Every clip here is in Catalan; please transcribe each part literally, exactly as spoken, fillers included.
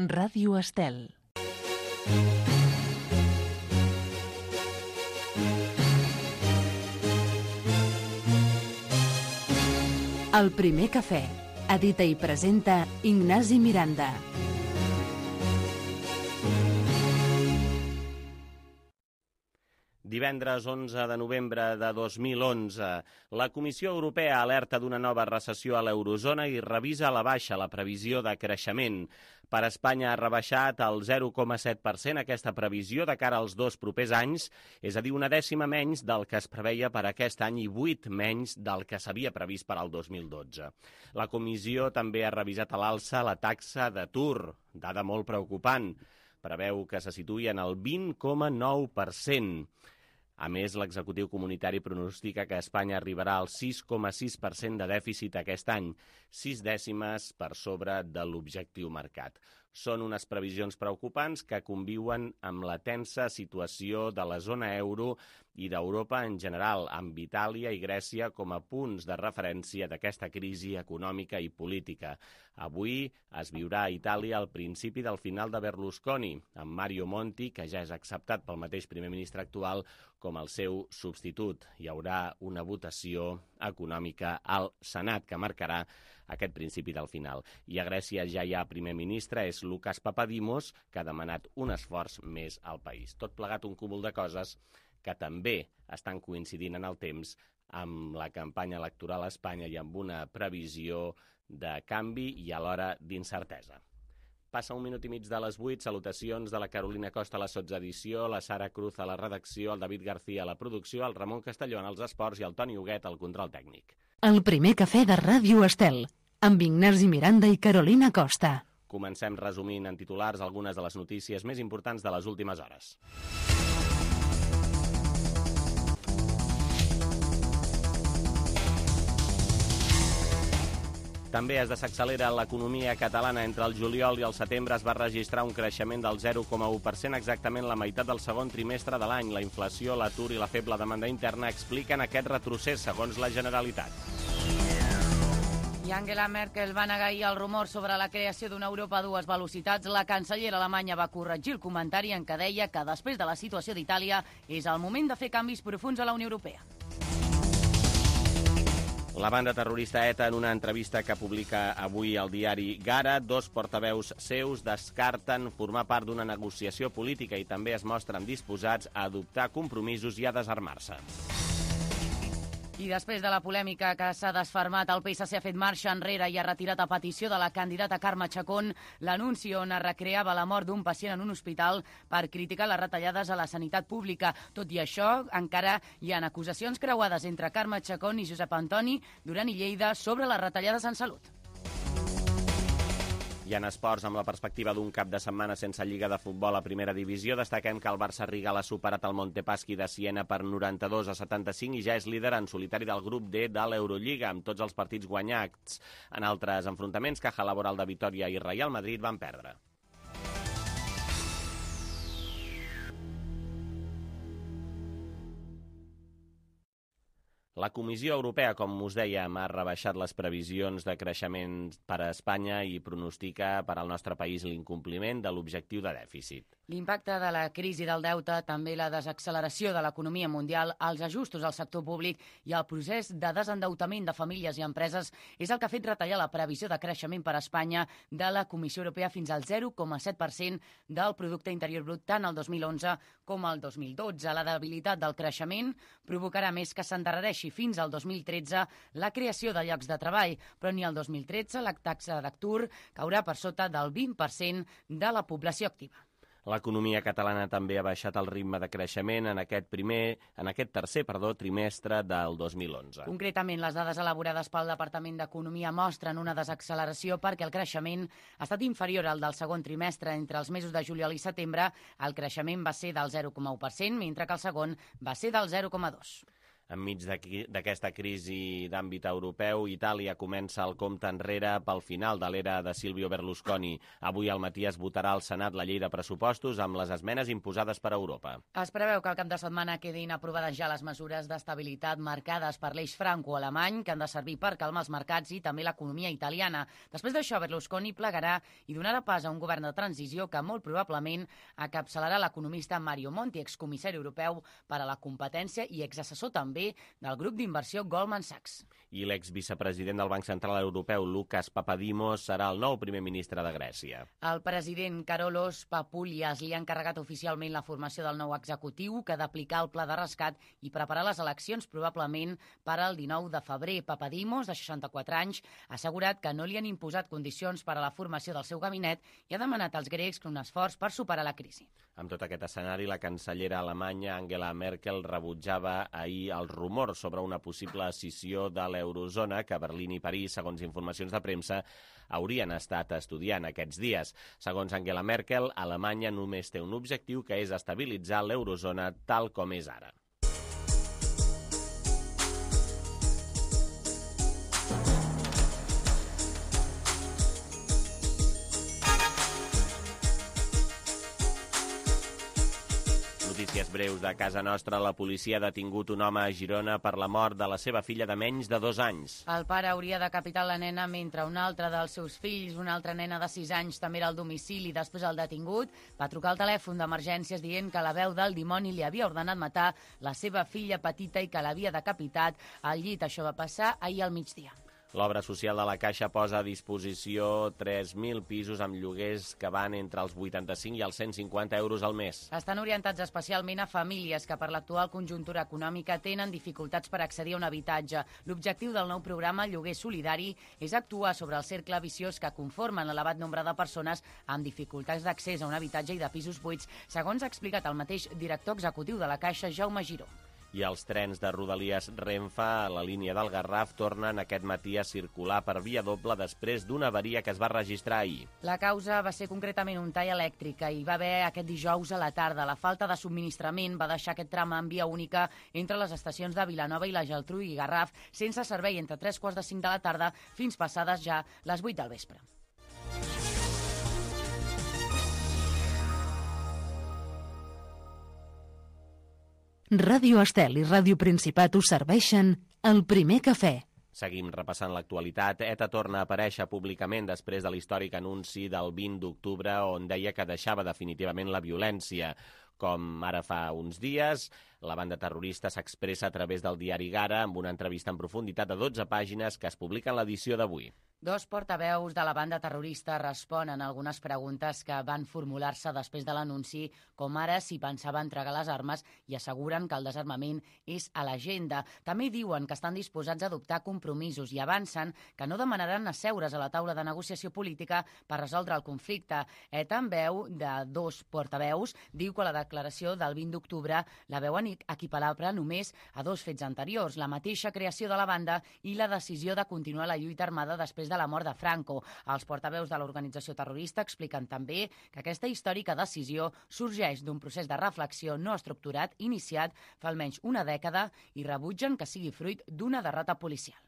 Ràdio Estel. El primer cafè. Edita i presenta Ignasi Miranda. Divendres onze de novembre de dos mil onze, la Comissió Europea alerta d'una nova recessió a l'eurozona i revisa a la baixa la previsió de creixement. Per Espanya ha rebaixat el zero coma set per cent aquesta previsió de cara als dos propers anys, és a dir, una dècima menys del que es preveia per aquest any i vuit menys del que s'havia previst per al dos mil dotze. La Comissió també ha revisat a l'alça la taxa d'atur, dada molt preocupant. Preveu que se situï en el vint coma nou per cent. A més, l'executiu comunitari pronostica que Espanya arribarà al sis coma sis per cent de dèficit aquest any, sis dècimes per sobre de l'objectiu marcat. Són unes previsions preocupants que conviuen amb la tensa situació de la zona euro i d'Europa en general, amb Itàlia i Grècia com a punts de referència d'aquesta crisi econòmica i política. Avui es viurà a Itàlia el principi del final de Berlusconi, amb Mario Monti, que ja és acceptat pel mateix primer ministre actual, com el seu substitut. Hi haurà una votació econòmica al Senat que marcarà aquest principi del final. I a Grècia ja hi ha primer ministre, és Lucas Papadimos, que ha demanat un esforç més al país. Tot plegat un cúmul de coses que també estan coincidint en el temps amb la campanya electoral a Espanya i amb una previsió de canvi i alhora d'incertesa. Passa un minut i mig de les vuit, salutacions de la Carolina Costa a la sotsedició, la Sara Cruz a la redacció, el David García a la producció, el Ramon Castelló en els esports i el Toni Huguet al control tècnic. El primer cafè de Ràdio Estel, amb Ignasi Miranda i Carolina Costa. Comencem resumint en titulars algunes de les notícies més importants de les últimes hores. També es desaccelera l'economia catalana. Entre el juliol i el setembre es va registrar un creixement del zero coma u per cent, exactament la meitat del segon trimestre de l'any. La inflació, l'atur i la feble demanda interna expliquen aquest retrocés, segons la Generalitat. I Angela Merkel va negar ahir el rumor sobre la creació d'una Europa a dues velocitats. La cancellera alemanya va corregir el comentari en què deia que després de la situació d'Itàlia és el moment de fer canvis profuns a la Unió Europea. La banda terrorista ETA, en una entrevista que publica avui el diari Gara, dos portaveus seus descarten formar part d'una negociació política i també es mostren disposats a adoptar compromisos i a desarmar-se. I després de la polèmica que s'ha desfermat, el P S C ha fet marxa enrere i ha retirat a petició de la candidata Carme Chacón l'anunci on es recreava la mort d'un pacient en un hospital per criticar les retallades a la sanitat pública. Tot i això, encara hi ha acusacions creuades entre Carme Chacón i Josep Antoni Duran i Lleida sobre les retallades en salut. I en esports, amb la perspectiva d'un cap de setmana sense lliga de futbol a primera divisió, destaquem que el Barça Rigal ha superat el Montepaschi de Siena per noranta-dos a setanta-cinc i ja és líder en solitari del grup D de l'Eurolliga, amb tots els partits guanyats. En altres enfrontaments, Caja Laboral de Vitòria i Real Madrid van perdre. La Comissió Europea, com us dèiem, ha rebaixat les previsions de creixement per a Espanya i pronostica per al nostre país l'incompliment de l'objectiu de dèficit. L'impacte de la crisi del deute, també la desacceleració de l'economia mundial, els ajustos al sector públic i el procés de desendeutament de famílies i empreses és el que ha fet retallar la previsió de creixement per a Espanya de la Comissió Europea fins al zero coma set per cent del producte interior brut tant el dos mil onze com el dos mil dotze. La debilitat del creixement provocarà més que s'endarrereixi fins al dos mil tretze la creació de llocs de treball, però ni el dos mil tretze la taxa d'atur caurà per sota del vint per cent de la població activa. L'economia catalana també ha baixat el ritme de creixement en aquest primer, en aquest tercer, perdó, trimestre del dos mil onze. Concretament, les dades elaborades pel Departament d'Economia mostren una desacceleració perquè el creixement ha estat inferior al del segon trimestre. Entre els mesos de juliol i setembre, el creixement va ser del zero coma u per cent, mentre que el segon va ser del zero coma dos per cent. Enmig d'aquesta crisi d'àmbit europeu, Itàlia comença el compte enrere pel final de l'era de Silvio Berlusconi. Avui al matí es votarà al Senat la llei de pressupostos amb les esmenes imposades per Europa. Es preveu que al cap de setmana quedin aprovades ja les mesures d'estabilitat marcades per l'eix franco-alemany que han de servir per calmar els mercats i també l'economia italiana. Després d'això, Berlusconi plegarà i donarà pas a un govern de transició que molt probablement encapçalarà l'economista Mario Monti, excomissari europeu per a la competència i exassessor també del grup d'inversió Goldman Sachs. I l'exvicepresident del Banc Central Europeu, Lukas Papadimos, serà el nou primer ministre de Grècia. El president Karolos Papoulias li ha encarregat oficialment la formació del nou executiu que ha d'aplicar el pla de rescat i preparar les eleccions probablement per al dinou de febrer. Papadimos, de seixanta-quatre anys, ha assegurat que no li han imposat condicions per a la formació del seu gabinet i ha demanat als grecs un esforç per superar la crisi. Amb tot aquest escenari, la cancellera alemanya Angela Merkel rebutjava ahir els rumors sobre una possible escissió de l'eurozona que Berlín i París, segons informacions de premsa, haurien estat estudiant aquests dies. Segons Angela Merkel, Alemanya només té un objectiu, que és estabilitzar l'eurozona tal com és ara. Notícies breus de casa nostra. La policia ha detingut un home a Girona per la mort de la seva filla de menys de dos anys. El pare hauria decapitat la nena mentre un altre dels seus fills, una altra nena de sis anys, també era al domicili. Després el detingut va trucar al telèfon d'emergències dient que la veu del dimoni li havia ordenat matar la seva filla petita i que l'havia decapitat al llit. Això va passar ahir al migdia. L'obra social de la Caixa posa a disposició tres mil pisos amb lloguers que van entre els vuitanta-cinc i els cent cinquanta euros al mes. Estan orientats especialment a famílies que per l'actual conjuntura econòmica tenen dificultats per accedir a un habitatge. L'objectiu del nou programa Lloguer Solidari és actuar sobre el cercle viciós que conformen l'elevat nombre de persones amb dificultats d'accés a un habitatge i de pisos buits, segons ha explicat el mateix director executiu de la Caixa, Jaume Giró. I els trens de Rodalies Renfe a la línia del Garraf tornen aquest matí a circular per via doble després d'una avaria que es va registrar ahir. La causa va ser concretament un tall elèctric que hi va haver aquest dijous a la tarda. La falta de subministrament va deixar aquest tram en via única entre les estacions de Vilanova i la Geltrú i Garraf sense servei entre tres quarts de cinc de la tarda fins passades ja les vuit del vespre. Ràdio Estel i Ràdio Principat us serveixen el primer cafè. Seguim repassant l'actualitat. ETA torna a aparèixer públicament després de l'històric anunci del vint d'octubre on deia que deixava definitivament la violència. Com ara fa uns dies, la banda terrorista s'expressa a través del diari Gara amb una entrevista en profunditat de dotze pàgines que es publica en l'edició d'avui. Dos portaveus de la banda terrorista responen a algunes preguntes que van formular-se després de l'anunci, com ara si pensava entregar les armes, i asseguren que el desarmament és a l'agenda. També diuen que estan disposats a adoptar compromisos i avancen que no demanaran asseure's a la taula de negociació política per resoldre el conflicte. ETA, en veu de dos portaveus, diu que la declaració del vint d'octubre la veuen equiparable només a dos fets anteriors, la mateixa creació de la banda i la decisió de continuar la lluita armada després de la mort de Franco. Els portaveus de l'organització terrorista expliquen també que aquesta històrica decisió sorgeix d'un procés de reflexió no estructurat iniciat fa almenys una dècada i rebutgen que sigui fruit d'una derrota policial.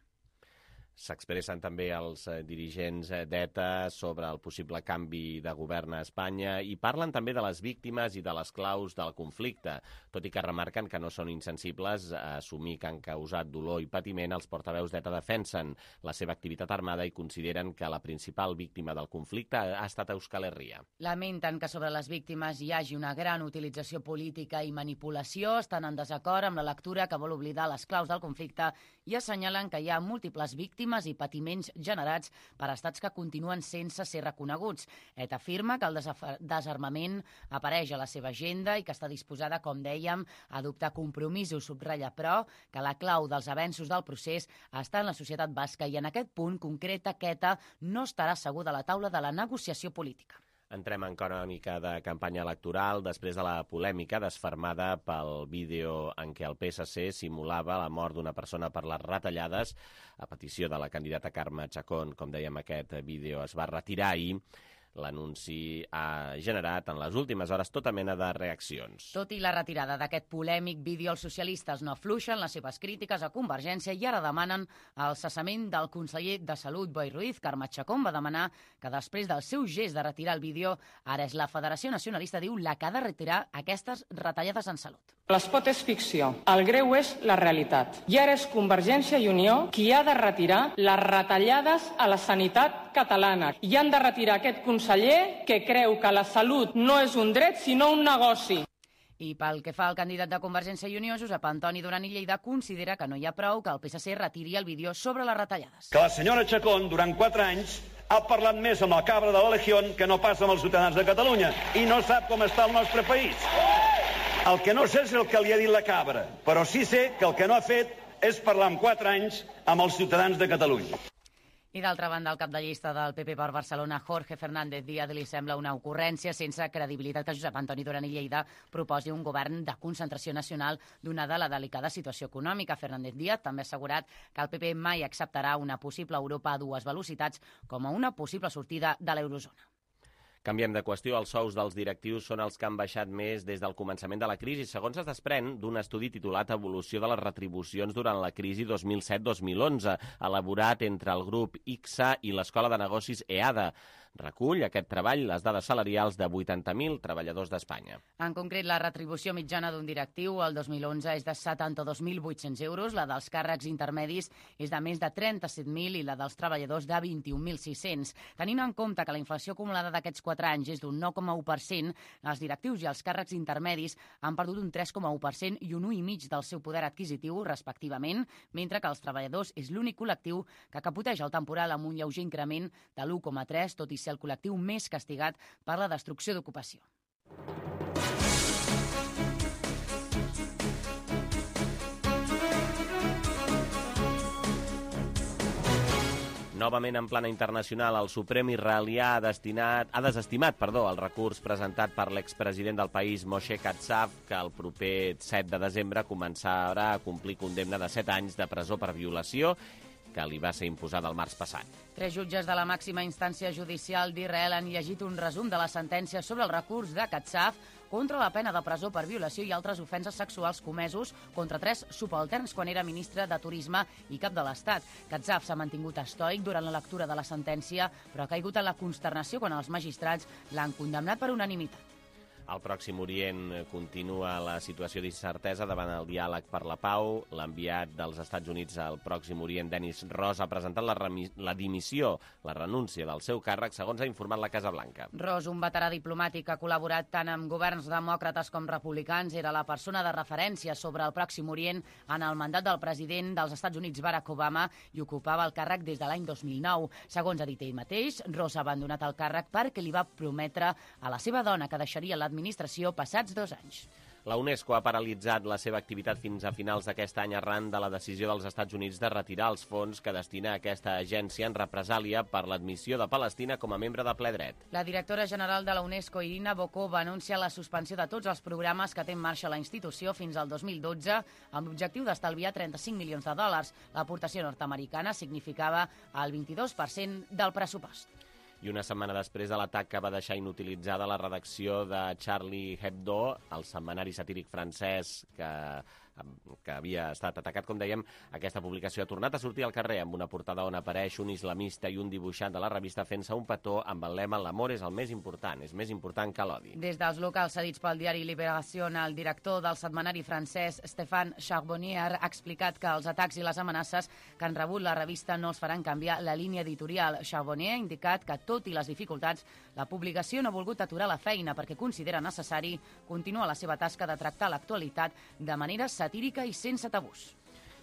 S'expressen també els dirigents d'ETA sobre el possible canvi de govern a Espanya i parlen també de les víctimes i de les claus del conflicte, tot i que remarquen que no són insensibles a assumir que han causat dolor i patiment. Els portaveus d'ETA defensen la seva activitat armada i consideren que la principal víctima del conflicte ha estat Euskal Herria. Lamenten que sobre les víctimes hi hagi una gran utilització política i manipulació, estan en desacord amb la lectura que vol oblidar les claus del conflicte i assenyalen que hi ha múltiples víctimes i patiments generats per estats que continuen sense ser reconeguts. ETA afirma que el desarmament apareix a la seva agenda i que està disposada, com dèiem, a adoptar compromisos. Subratlla, però, que la clau dels avenços del procés està en la societat basca i en aquest punt concreta que ETA no estarà asseguda a la taula de la negociació política. Entrem en crònica de campanya electoral després de la polèmica desfermada pel vídeo en què el P S C simulava la mort d'una persona per les retallades. A petició de la candidata Carme Chacón, com dèiem, aquest vídeo es va retirar ahir. L'anunci ha generat en les últimes hores tota mena de reaccions. Tot i la retirada d'aquest polèmic vídeo, els socialistes no afluixen les seves crítiques a Convergència i ara demanen el cessament del conseller de Salut, Boi Ruiz. Carme Chacón va demanar que després del seu gest de retirar el vídeo, ara és la Federació Nacionalista, diu, la que ha de retirar aquestes retallades en salut. L'espot és ficció, el greu és la realitat. I ara és Convergència i Unió qui ha de retirar les retallades a la sanitat catalana. I han de retirar aquest conseller que creu que la salut no és un dret sinó un negoci. I pel que fa al candidat de Convergència i Unió, Josep Antoni Duran i Lleida, considera que no hi ha prou que el P S C retiri el vídeo sobre les retallades. Que la senyora Chacón, durant quatre anys, ha parlat més amb la cabra de la Legión que no passa amb els ciutadans de Catalunya i no sap com està el nostre país. El que no sé és el que li ha dit la cabra, però sí sé que el que no ha fet és parlar en quatre anys amb els ciutadans de Catalunya. I d'altra banda, el cap de llista del P P per Barcelona, Jorge Fernández Díaz, li sembla una ocurrència sense credibilitat que Josep Antoni Duran i Lleida proposi un govern de concentració nacional donada la delicada situació econòmica. Fernández Díaz també ha assegurat que el P P mai acceptarà una possible Europa a dues velocitats com a una possible sortida de l'eurozona. Canviem de qüestió. Els sous dels directius són els que han baixat més des del començament de la crisi, segons es desprèn d'un estudi titulat Evolució de les retribucions durant la crisi dos mil set dos mil onze, elaborat entre el grup I C S A i l'Escola de Negocis E A D A. Recull aquest treball les dades salarials de vuitanta mil treballadors d'Espanya. En concret, la retribució mitjana d'un directiu el dos mil onze és de setanta-dos mil vuit-cents euros, la dels càrrecs intermedis és de més de trenta-set mil i la dels treballadors de vint-i-un mil sis-cents. Tenint en compte que la inflació acumulada d'aquests quatre anys és d'un nou coma u per cent, els directius i els càrrecs intermedis han perdut un tres coma u per cent i un u coma cinc del seu poder adquisitiu, respectivament, mentre que els treballadors és l'únic col·lectiu que capoteja el temporal amb un lleuger increment de l'u coma tres, tot i ser el col·lectiu més castigat per la destrucció d'ocupació. Novament en plana internacional, el Suprem israelià ha, destinat, ha desestimat perdó, el recurs presentat per l'expresident del país, Moshe Katsav, que el proper set de desembre començarà a complir condemna de set anys de presó per violació que li va ser imposada el març passat. Tres jutges de la màxima instància judicial d'Israel han llegit un resum de la sentència sobre el recurs de Katsav contra la pena de presó per violació i altres ofenses sexuals comesos contra tres subalterns quan era ministre de Turisme i cap de l'Estat. Katsav s'ha mantingut estoic durant la lectura de la sentència, però ha caigut en la consternació quan els magistrats l'han condemnat per unanimitat. Al Pròxim Orient continua la situació d'incertesa davant el diàleg per la pau. L'enviat dels Estats Units al Pròxim Orient, Dennis Ross, ha presentat la, la dimissió, la renúncia del seu càrrec, segons ha informat la Casa Blanca. Ross, un veterà diplomàtic que ha col·laborat tant amb governs demòcrates com republicans, era la persona de referència sobre el Pròxim Orient en el mandat del president dels Estats Units, Barack Obama, i ocupava el càrrec des de l'any dos mil nou. Segons ha dit ell mateix, Ross ha abandonat el càrrec perquè li va prometre a la seva dona que deixaria l'administració administració passats dos anys. La UNESCO ha paralitzat la seva activitat fins a finals d'aquest any arran de la decisió dels Estats Units de retirar els fons que destina a aquesta agència en represàlia per l'admissió de Palestina com a membre de ple dret. La directora general de la UNESCO, Irina Bokova, anuncia la suspensió de tots els programes que té en marxa la institució fins al dos mil dotze amb l'objectiu d'estalviar trenta-cinc milions de dòlars. L'aportació nord-americana significava el vint-i-dos per cent del pressupost. I una setmana després de l'atac que va deixar inutilitzada la redacció de Charlie Hebdo, el setmanari satíric francès que, que havia estat atacat, com dèiem, aquesta publicació ha tornat a sortir al carrer amb una portada on apareix un islamista i un dibuixant de la revista fent-se un petó amb el lema «L'amor és el més important, és més important que l'odi». Des dels locals cedits pel diari Libération, el director del setmanari francès, Stéphane Charbonnier, ha explicat que els atacs i les amenaces que han rebut la revista no els faran canviar la línia editorial. Charbonnier ha indicat que, tot i les dificultats, la publicació no ha volgut aturar la feina perquè considera necessari continuar la seva tasca de tractar l'actualitat de manera satírica i sense tabús.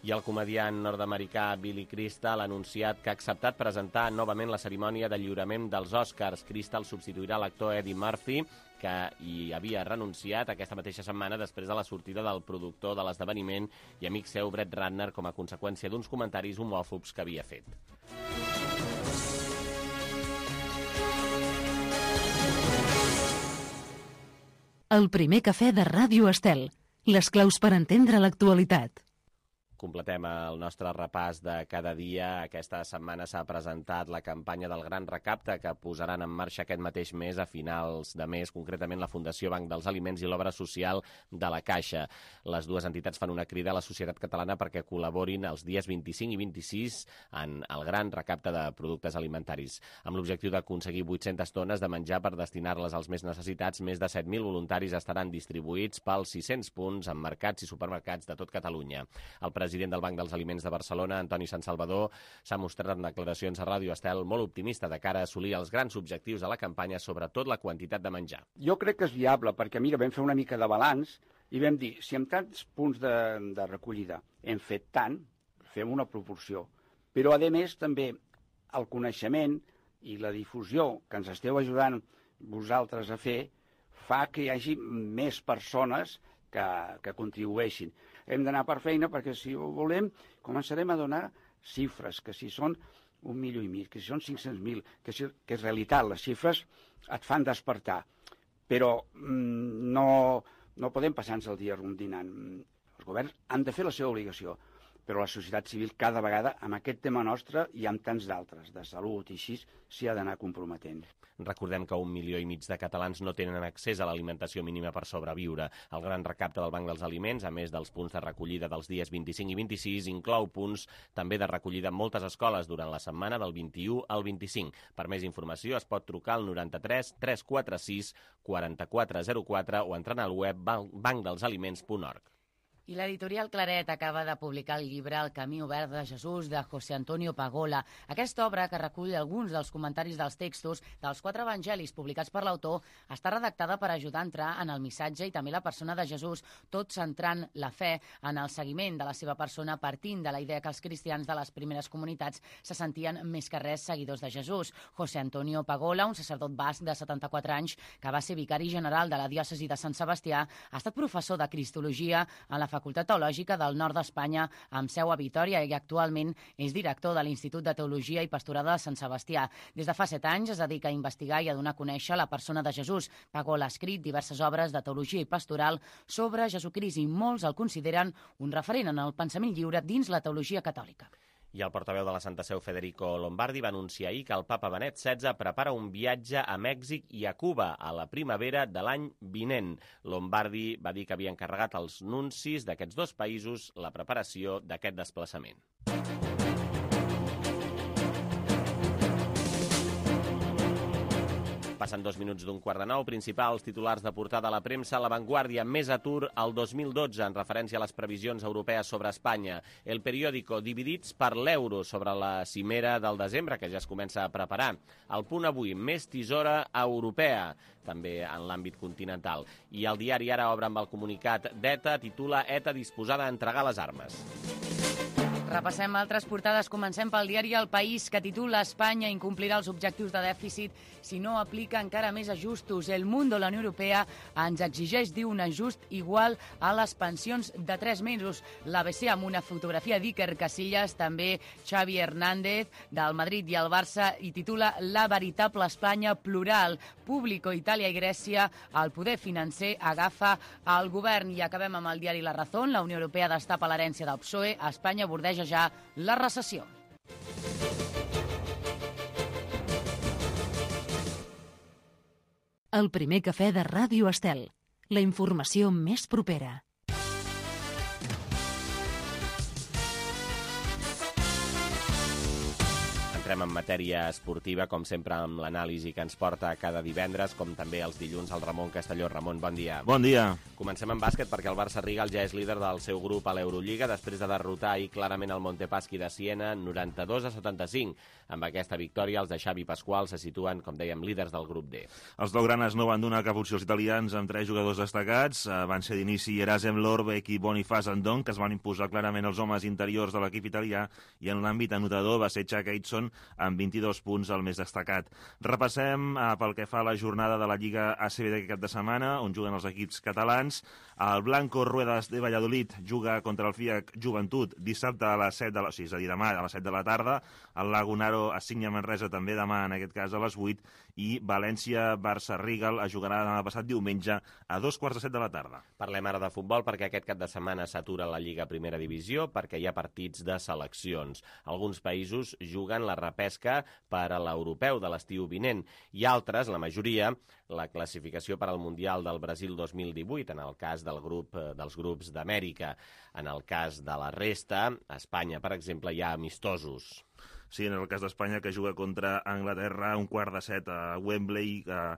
I el comediant nord-americà Billy Crystal ha anunciat que ha acceptat presentar novament la cerimònia de lliurament dels Oscars. Crystal substituirà l'actor Eddie Murphy, que hi havia renunciat aquesta mateixa setmana després de la sortida del productor de l'esdeveniment i amic seu Brett Ratner com a conseqüència d'uns comentaris homòfobs que havia fet. El primer cafè de Ràdio Estel. Les claus per entendre l'actualitat. Completem el nostre repàs de cada dia. Aquesta setmana s'ha presentat la campanya del Gran Recapte que posaran en marxa aquest mateix mes, a finals de mes, concretament la Fundació Banc dels Aliments i l'Obra Social de la Caixa. Les dues entitats fan una crida a la societat catalana perquè col·laborin els dies vint-i-cinc i vint-i-sis en el Gran Recapte de productes alimentaris. Amb l'objectiu d'aconseguir vuit-centes tones de menjar per destinar-les als més necessitats, més de set mil voluntaris estaran distribuïts pels sis-cents punts en mercats i supermercats de tot Catalunya. El president del Banc dels Aliments de Barcelona, Antoni Santsalvador, s'ha mostrat en declaracions a Ràdio Estel molt optimista de cara a assolir els grans objectius de la campanya, sobretot la quantitat de menjar. Jo crec que és viable, perquè mira, vam fer una mica de balanç i vam dir, si amb tants punts de, de recollida hem fet tant, fem una proporció. Però, a més, també el coneixement i la difusió que ens esteu ajudant vosaltres a fer fa que hi hagi més persones que, que contribueixin. Hem d'anar per feina perquè, si ho volem, començarem a donar xifres, que si són un milió i mig, que si són cinc-cents mil, que, si, que és realitat, les xifres et fan despertar. Però mm, no, no podem passar-nos el dia rondinant. Els governs han de fer la seva obligació, però la societat civil cada vegada, amb aquest tema nostre i amb tants d'altres, de salut i així, s'hi ha d'anar comprometent. Recordem que un milió i mig de catalans no tenen accés a l'alimentació mínima per sobreviure. El Gran Recapte del Banc dels Aliments, a més dels punts de recollida dels dies vint-i-cinc i vint-i-sis, inclou punts també de recollida en moltes escoles durant la setmana del vint-i-u al vint-i-cinc. Per més informació es pot trucar al noranta-tres tres cents quaranta-sis quaranta-quatre zero quatre o entrant al web banc dels aliments punt org. I l'editorial Claret acaba de publicar el llibre El camí obert de Jesús, de José Antonio Pagola. Aquesta obra, que recull alguns dels comentaris dels textos dels quatre evangelis publicats per l'autor, està redactada per ajudar a entrar en el missatge i també la persona de Jesús, tot centrant la fe en el seguiment de la seva persona, partint de la idea que els cristians de les primeres comunitats se sentien més que res seguidors de Jesús. José Antonio Pagola, un sacerdot basc de setanta-quatre anys, que va ser vicari general de la diòcesi de Sant Sebastià, ha estat professor de Cristologia en la Facultat Teològica del Nord d'Espanya, amb seu a Vitòria, i actualment és director de l'Institut de Teologia i Pastorada de Sant Sebastià. Des de fa set anys es dedica a investigar i a donar a conèixer la persona de Jesús. Pagola ha escrit diverses obres de teologia i pastoral sobre Jesucrist i molts el consideren un referent en el pensament lliure dins la teologia catòlica. I el portaveu de la Santa Seu, Federico Lombardi, va anunciar ahir que el papa Benet setze prepara un viatge a Mèxic i a Cuba a la primavera de l'any vinent. Lombardi va dir que havia encarregat als nuncis d'aquests dos països la preparació d'aquest desplaçament. Passen dos minuts d'un quart de nou. Principals titulars de portada a la premsa. La Vanguardia, més atur al dos mil dotze, en referència a les previsions europees sobre Espanya. El Periódico, dividits per l'euro sobre la cimera del desembre, que ja es comença a preparar. El Punt avui, més tisora europea, també en l'àmbit continental. I el diari Ara obre amb el comunicat d'ETA, titula ETA disposada a entregar les armes. Repassem altres portades. Comencem pel diari El País, que titula Espanya incomplirà els objectius de dèficit si no aplica encara més ajustos. El Mundo, la Unió Europea, ens exigeix, diu, un ajust igual a les pensions de tres mesos. L'A B C amb una fotografia d'Iker Casillas, també Xavi Hernández, del Madrid i el Barça, i titula La veritable Espanya plural. Público, Itàlia i Grècia, el poder financer agafa el govern. I acabem amb el diari La Razón. La Unió Europea destapa l'herència del P S O E. Espanya bordeja ja la recessió. El primer cafè de Ràdio Estel. La informació més propera. Entrem en matèria esportiva, com sempre, amb l'anàlisi que ens porta cada divendres, com també els dilluns, el Ramon Castelló. Ramon, bon dia. Bon dia. Comencem amb bàsquet, perquè el Barça Rigal ja és líder del seu grup a l'Eurolliga, després de derrotar ahir clarament el Montepaschi de Siena, noranta-dos a setanta-cinc. Amb aquesta victòria, els de Xavi Pasqual se situen, com dèiem, líders del grup D. Els blaugranes no van donar cap opció als italians amb tres jugadors destacats. Van ser d'inici Erasem Lorbeck i Bonifaz Andon, que es van imposar clarament els homes interiors de l'equip italià, i en l'àmbit anotador va ser Chuck Aitson amb vint-i-dos punts, el més destacat. Repassem eh, pel que fa a la jornada de la Lliga A C B d'aquest cap de setmana, on juguen els equips catalans. El Blanco Ruedas de Valladolid juga contra el FIAC Joventut dissabte a les set de la, o sigui, és a dir, demà a les set de la tarda. El Lagunaro assigna Manresa també demà, en aquest cas a les vuit. i València-Barça-Rigal es jugarà demà passat diumenge a dos quarts de set de la tarda. Parlem ara de futbol perquè aquest cap de setmana s'atura la Lliga Primera Divisió perquè hi ha partits de seleccions. Alguns països juguen la repesca per a l'europeu de l'estiu vinent i altres, la majoria, la classificació per al Mundial del Brasil dos mil divuit, en el cas del grup dels grups d'Amèrica. En el cas de la resta, a Espanya, per exemple, hi ha amistosos. Sí, en el cas d'Espanya, que juga contra Anglaterra un quart de set a Wembley, eh,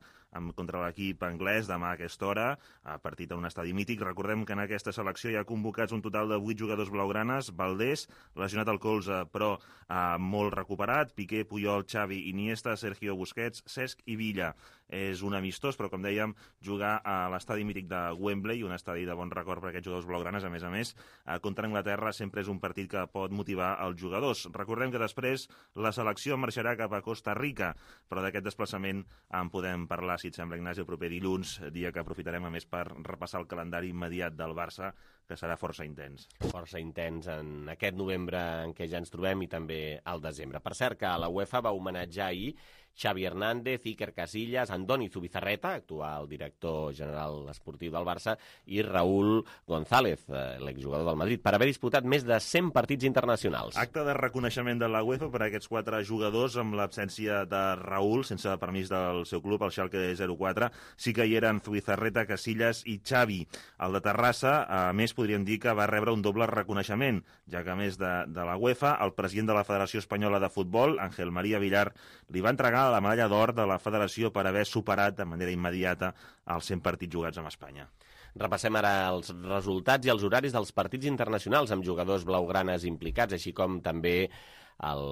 contra l'equip anglès demà a aquesta hora, a partit en un estadi mític. Recordem que en aquesta selecció hi ha convocats un total de vuit jugadors blaugranes, Valdés, lesionat al colze, però eh, molt recuperat, Piqué, Puyol, Xavi, Iniesta, Sergio Busquets, Cesc i Villa. És un amistós, però com dèiem, jugar a l'estadi mític de Wembley, un estadi de bon record per aquests jugadors blaugranes, a més a més, eh, contra Anglaterra sempre és un partit que pot motivar els jugadors. Recordem que després la selecció marxarà cap a Costa Rica, però d'aquest desplaçament en podem parlar, si et sembla, Ignasi, el proper dilluns, dia que aprofitarem a més per repassar el calendari immediat del Barça, que serà força intens. Força intens en aquest novembre en què ja ens trobem i també al desembre. Per cert, que la UEFA va homenatjar ahir Xavi Hernández, Iker Casillas, Andoni Zubizarreta, actual director general esportiu del Barça, i Raúl González, l'exjugador del Madrid, per haver disputat més de cent partits internacionals. Acte de reconeixement de la UEFA per a aquests quatre jugadors amb l'absència de Raúl, sense permís del seu club, el Schalke zero quatre. Sí que hi eren Zubizarreta, Casillas i Xavi. El de Terrassa, a més, podríem dir que va rebre un doble reconeixement, ja que a més de, de la UEFA, el president de la Federació Espanyola de Futbol, Ángel María Villar, li va entregar la medalla d'or de la Federació per haver superat de manera immediata els cent partits jugats amb Espanya. Repassem ara els resultats i els horaris dels partits internacionals amb jugadors blaugranes implicats, així com també el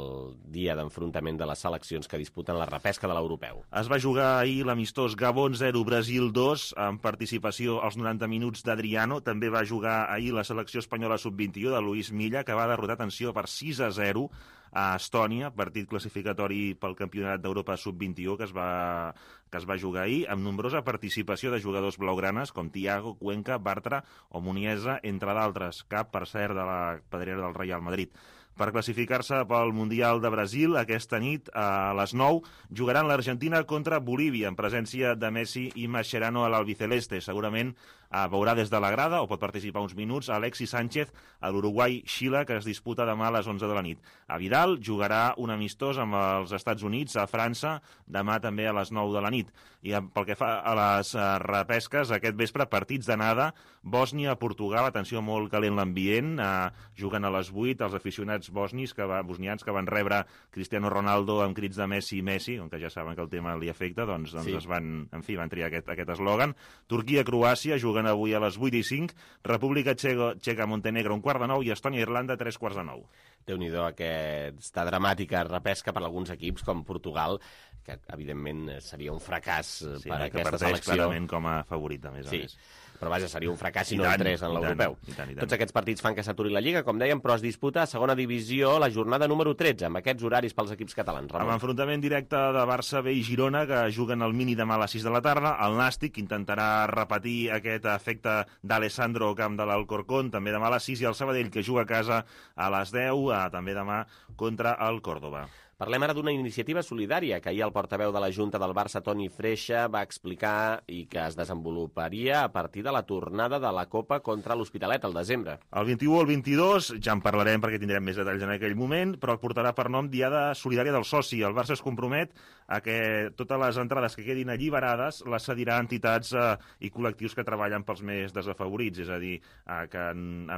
dia d'enfrontament de les seleccions que disputen la repesca de l'europeu. Es va jugar ahir l'amistós Gabon zero, Brasil dos, amb participació als noranta minuts d'Adriano. També va jugar ahir la selecció espanyola sub vint i u de Luis Milla, que va derrotar, atenció, per sis a zero a Estònia, partit classificatori pel Campionat d'Europa sub vint i u que es va que es va jugar ahir, amb nombrosa participació de jugadors blaugranes com Thiago, Cuenca, Bartra o Muniesa, entre d'altres, cap, per cert, de la pedrera del Real Madrid. Per classificar-se pel Mundial de Brasil, aquesta nit, a les nou, jugaran l'Argentina contra Bolívia, en presència de Messi i Mascherano a l'Albiceleste. Segurament eh, veurà des de la grada, o pot participar uns minuts, Alexis Sánchez a l'Uruguai-Xile, que es disputa demà a les onze de la nit. A Vidal jugarà un amistós amb els Estats Units a França, demà també a les nou de la nit. I pel que fa a les eh, repesques, aquest vespre, partits d'anada, Bòsnia-Portugal, atenció, molt calent l'ambient, eh, juguen a les vuit, els aficionats bosnis que va, bosnians que van rebre Cristiano Ronaldo amb crits de Messi i Messi, on que ja saben que el tema li afecta, doncs, doncs sí. es van, en fi, van triar aquest, aquest eslògan. Turquia-Croàcia juguen avui a les vuit i cinc, República Txeca-Montenegro un quart de nou i Estònia-Irlanda tres quarts de nou. Déu-n'hi-do aquesta dramàtica repesca per alguns equips com Portugal, que evidentment seria un fracàs sí, per no, aquesta selecció. Sí, clarament com a favorita, més sí. a més. Però vaja, seria un fracàs si no entrés en l'europeu. Tots aquests partits fan que s'aturi la Lliga, com dèiem, però es disputa a segona divisió la jornada número tretze, amb aquests horaris pels equips catalans. Ramon. Amb enfrontament directe de Barça, B i Girona, que juguen al mini demà a les sis de la tarda. El Nàstic intentarà repetir aquest efecte d'Alessandro Camp de l'Alcorcón, també demà a les sis, i el Sabadell, que juga a casa a les deu, també demà contra el Córdoba. Parlem ara d'una iniciativa solidària que ahir el portaveu de la Junta del Barça, Toni Freixa, va explicar i que es desenvoluparia a partir de la tornada de la Copa contra l'Hospitalet al desembre. El vint-i-u al vint-i-dos, ja en parlarem perquè tindrem més detalls en aquell moment, però portarà per nom Diada Solidària del Soci. El Barça es compromet a que totes les entrades que quedin alliberades les cedirà a entitats eh, i col·lectius que treballen pels més desafavorits, és a dir, eh, que,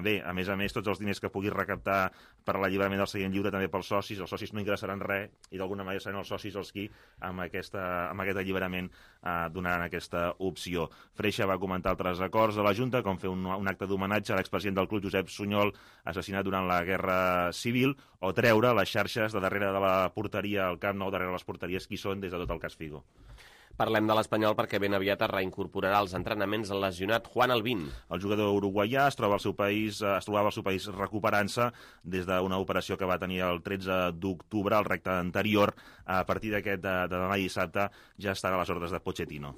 bé, a més a més, tots els diners que pugui recaptar per l'alliberament del seient lliure també pels socis, els socis no ingressaran res i d'alguna manera seran els socis els qui amb, aquesta, amb aquest alliberament eh, donaran aquesta opció. Freixa va comentar altres acords de la Junta, com fer un, un acte d'homenatge a l'expresident del club Josep Sunyol, assassinat durant la Guerra Civil, o treure les xarxes de darrere de la porteria al Camp Nou, darrere les porteries qui són des de tot el cas Figo. Parlem de l'Espanyol perquè ben aviat es reincorporarà als entrenaments el lesionat Juan Albín. El jugador uruguaià es troba al seu país, es trobava al seu país recuperant-se des d'una operació que va tenir el tretze d'octubre, al recte anterior. A partir d'aquest de, de demà dissabte ja estarà a les ordres de Pochettino.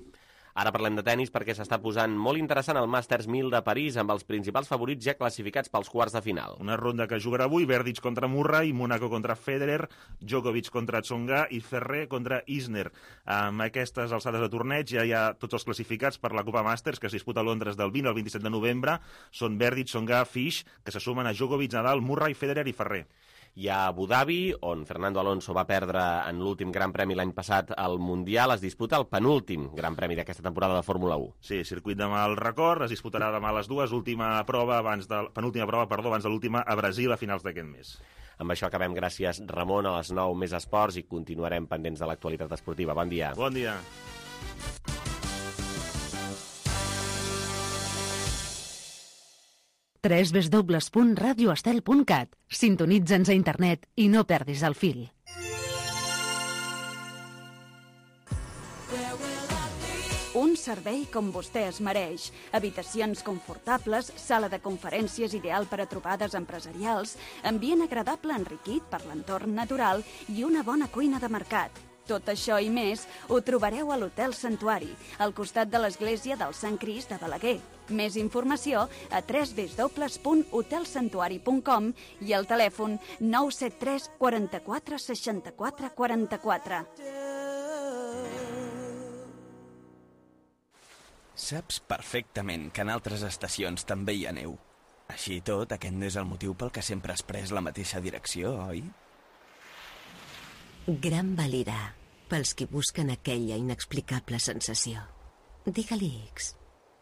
Ara parlem de tenis perquè s'està posant molt interessant el Masters mil de París amb els principals favorits ja classificats pels quarts de final. Una ronda que jugarà avui, Berdych contra Murray, Mónaco contra Federer, Djokovic contra Tsonga i Ferrer contra Isner. Amb aquestes alçades de torneig ja hi ha tots els classificats per la Copa Masters que es disputa a Londres del vint al vint-i-set de novembre. Són Berdych, Tsonga, Fish, que se sumen a Djokovic, Nadal, Murray, Federer i Ferrer. Hi ha Abu Dhabi, on Fernando Alonso va perdre en l'últim Gran Premi l'any passat al Mundial, es disputa el penúltim Gran Premi d'aquesta temporada de Fórmula u. Sí, circuit de mal record, es disputarà demà a les dues, última prova abans de, penúltima prova, perdó, abans de l'última a Brasil a finals d'aquest mes. Amb això acabem. Gràcies, Ramon. A les nou més esports i continuarem pendents de l'actualitat esportiva. Bon dia. Bon dia. w w w punt radio estel punt cat. Sintonitza'ns a internet i no perdis el fil. Un servei com vostè es mereix. Habitacions confortables, sala de conferències ideal per a trobades empresarials, ambient agradable enriquit per l'entorn natural i una bona cuina de mercat. Tot això i més ho trobareu a l'Hotel Santuari, al costat de l'església del Sant Crist de Balaguer. Més informació a w w w punt hotel santuari punt com i al telèfon nou set tres quaranta-quatre seixanta-quatre quaranta-quatre. Saps perfectament que en altres estacions també hi ha neu. Així i tot, aquest no és el motiu pel que sempre has pres la mateixa direcció, oi? Gran Valira, pels qui busquen aquella inexplicable sensació. Digue-li X.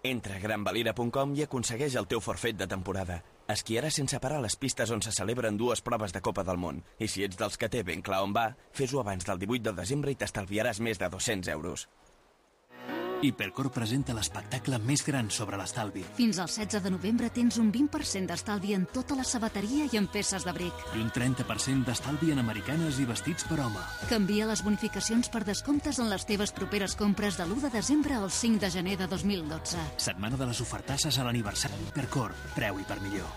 Entra a gran valira punt com i aconsegueix el teu forfait de temporada. Esquiaràs sense parar a les pistes on se celebren dues proves de Copa del Món. I si ets dels que té ben clar on va, fes-ho abans del divuit de desembre i t'estalviaràs més de dos-cents euros. Hipercor presenta l'espectacle més gran sobre l'estalvi. Fins al setze de novembre tens un vint per cent d'estalvi en tota la sabateria i en peces d'abric. I un trenta per cent d'estalvi en americanes i vestits per home. Canvia les bonificacions per descomptes en les teves properes compres de l'u de desembre al cinc de gener de dos mil dotze. Setmana de les ofertasses a l'aniversari Hipercor. Preu i per millor.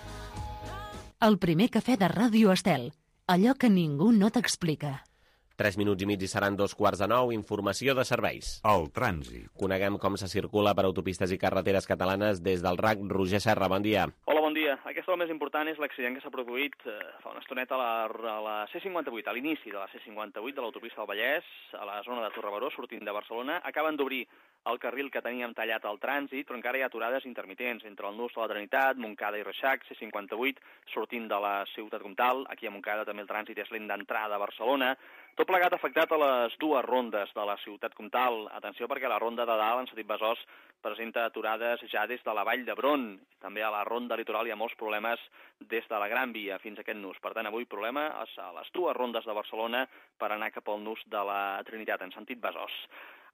El primer cafè de Ràdio Estel. Allò que ningú no t'explica. Tres minuts i mig i seran dos quarts de nou. Informació de serveis. El trànsit. Coneguem com se circula per autopistes i carreteres catalanes des del R A C. Roger Serra, bon dia. Hola, bon dia. Aquesta el més important és l'accident que s'ha produït eh, fa una estoneta a la, a la C cinquanta-vuit, a l'inici de la C cinquanta-vuit de l'autopista del Vallès, a la zona de Torrebaró, sortint de Barcelona. Acaben d'obrir el carril que teníem tallat al trànsit, però encara hi ha aturades intermitents entre el nus de la Trinitat, Montcada i Reixac, C cinquanta-vuit, sortint de la ciutat comtal. Aquí a Montcada també el trànsit és lent d'entrada a Barcelona. Tot plegat afectat a les dues rondes de la ciutat comtal. Atenció perquè la ronda de dalt, en sentit Besòs, presenta aturades ja des de la Vall d'Hebron. També a la ronda litoral hi ha molts problemes des de la Gran Via fins a aquest nus. Per tant, avui problema a les dues rondes de Barcelona per anar cap al nus de la Trinitat, en sentit Besòs.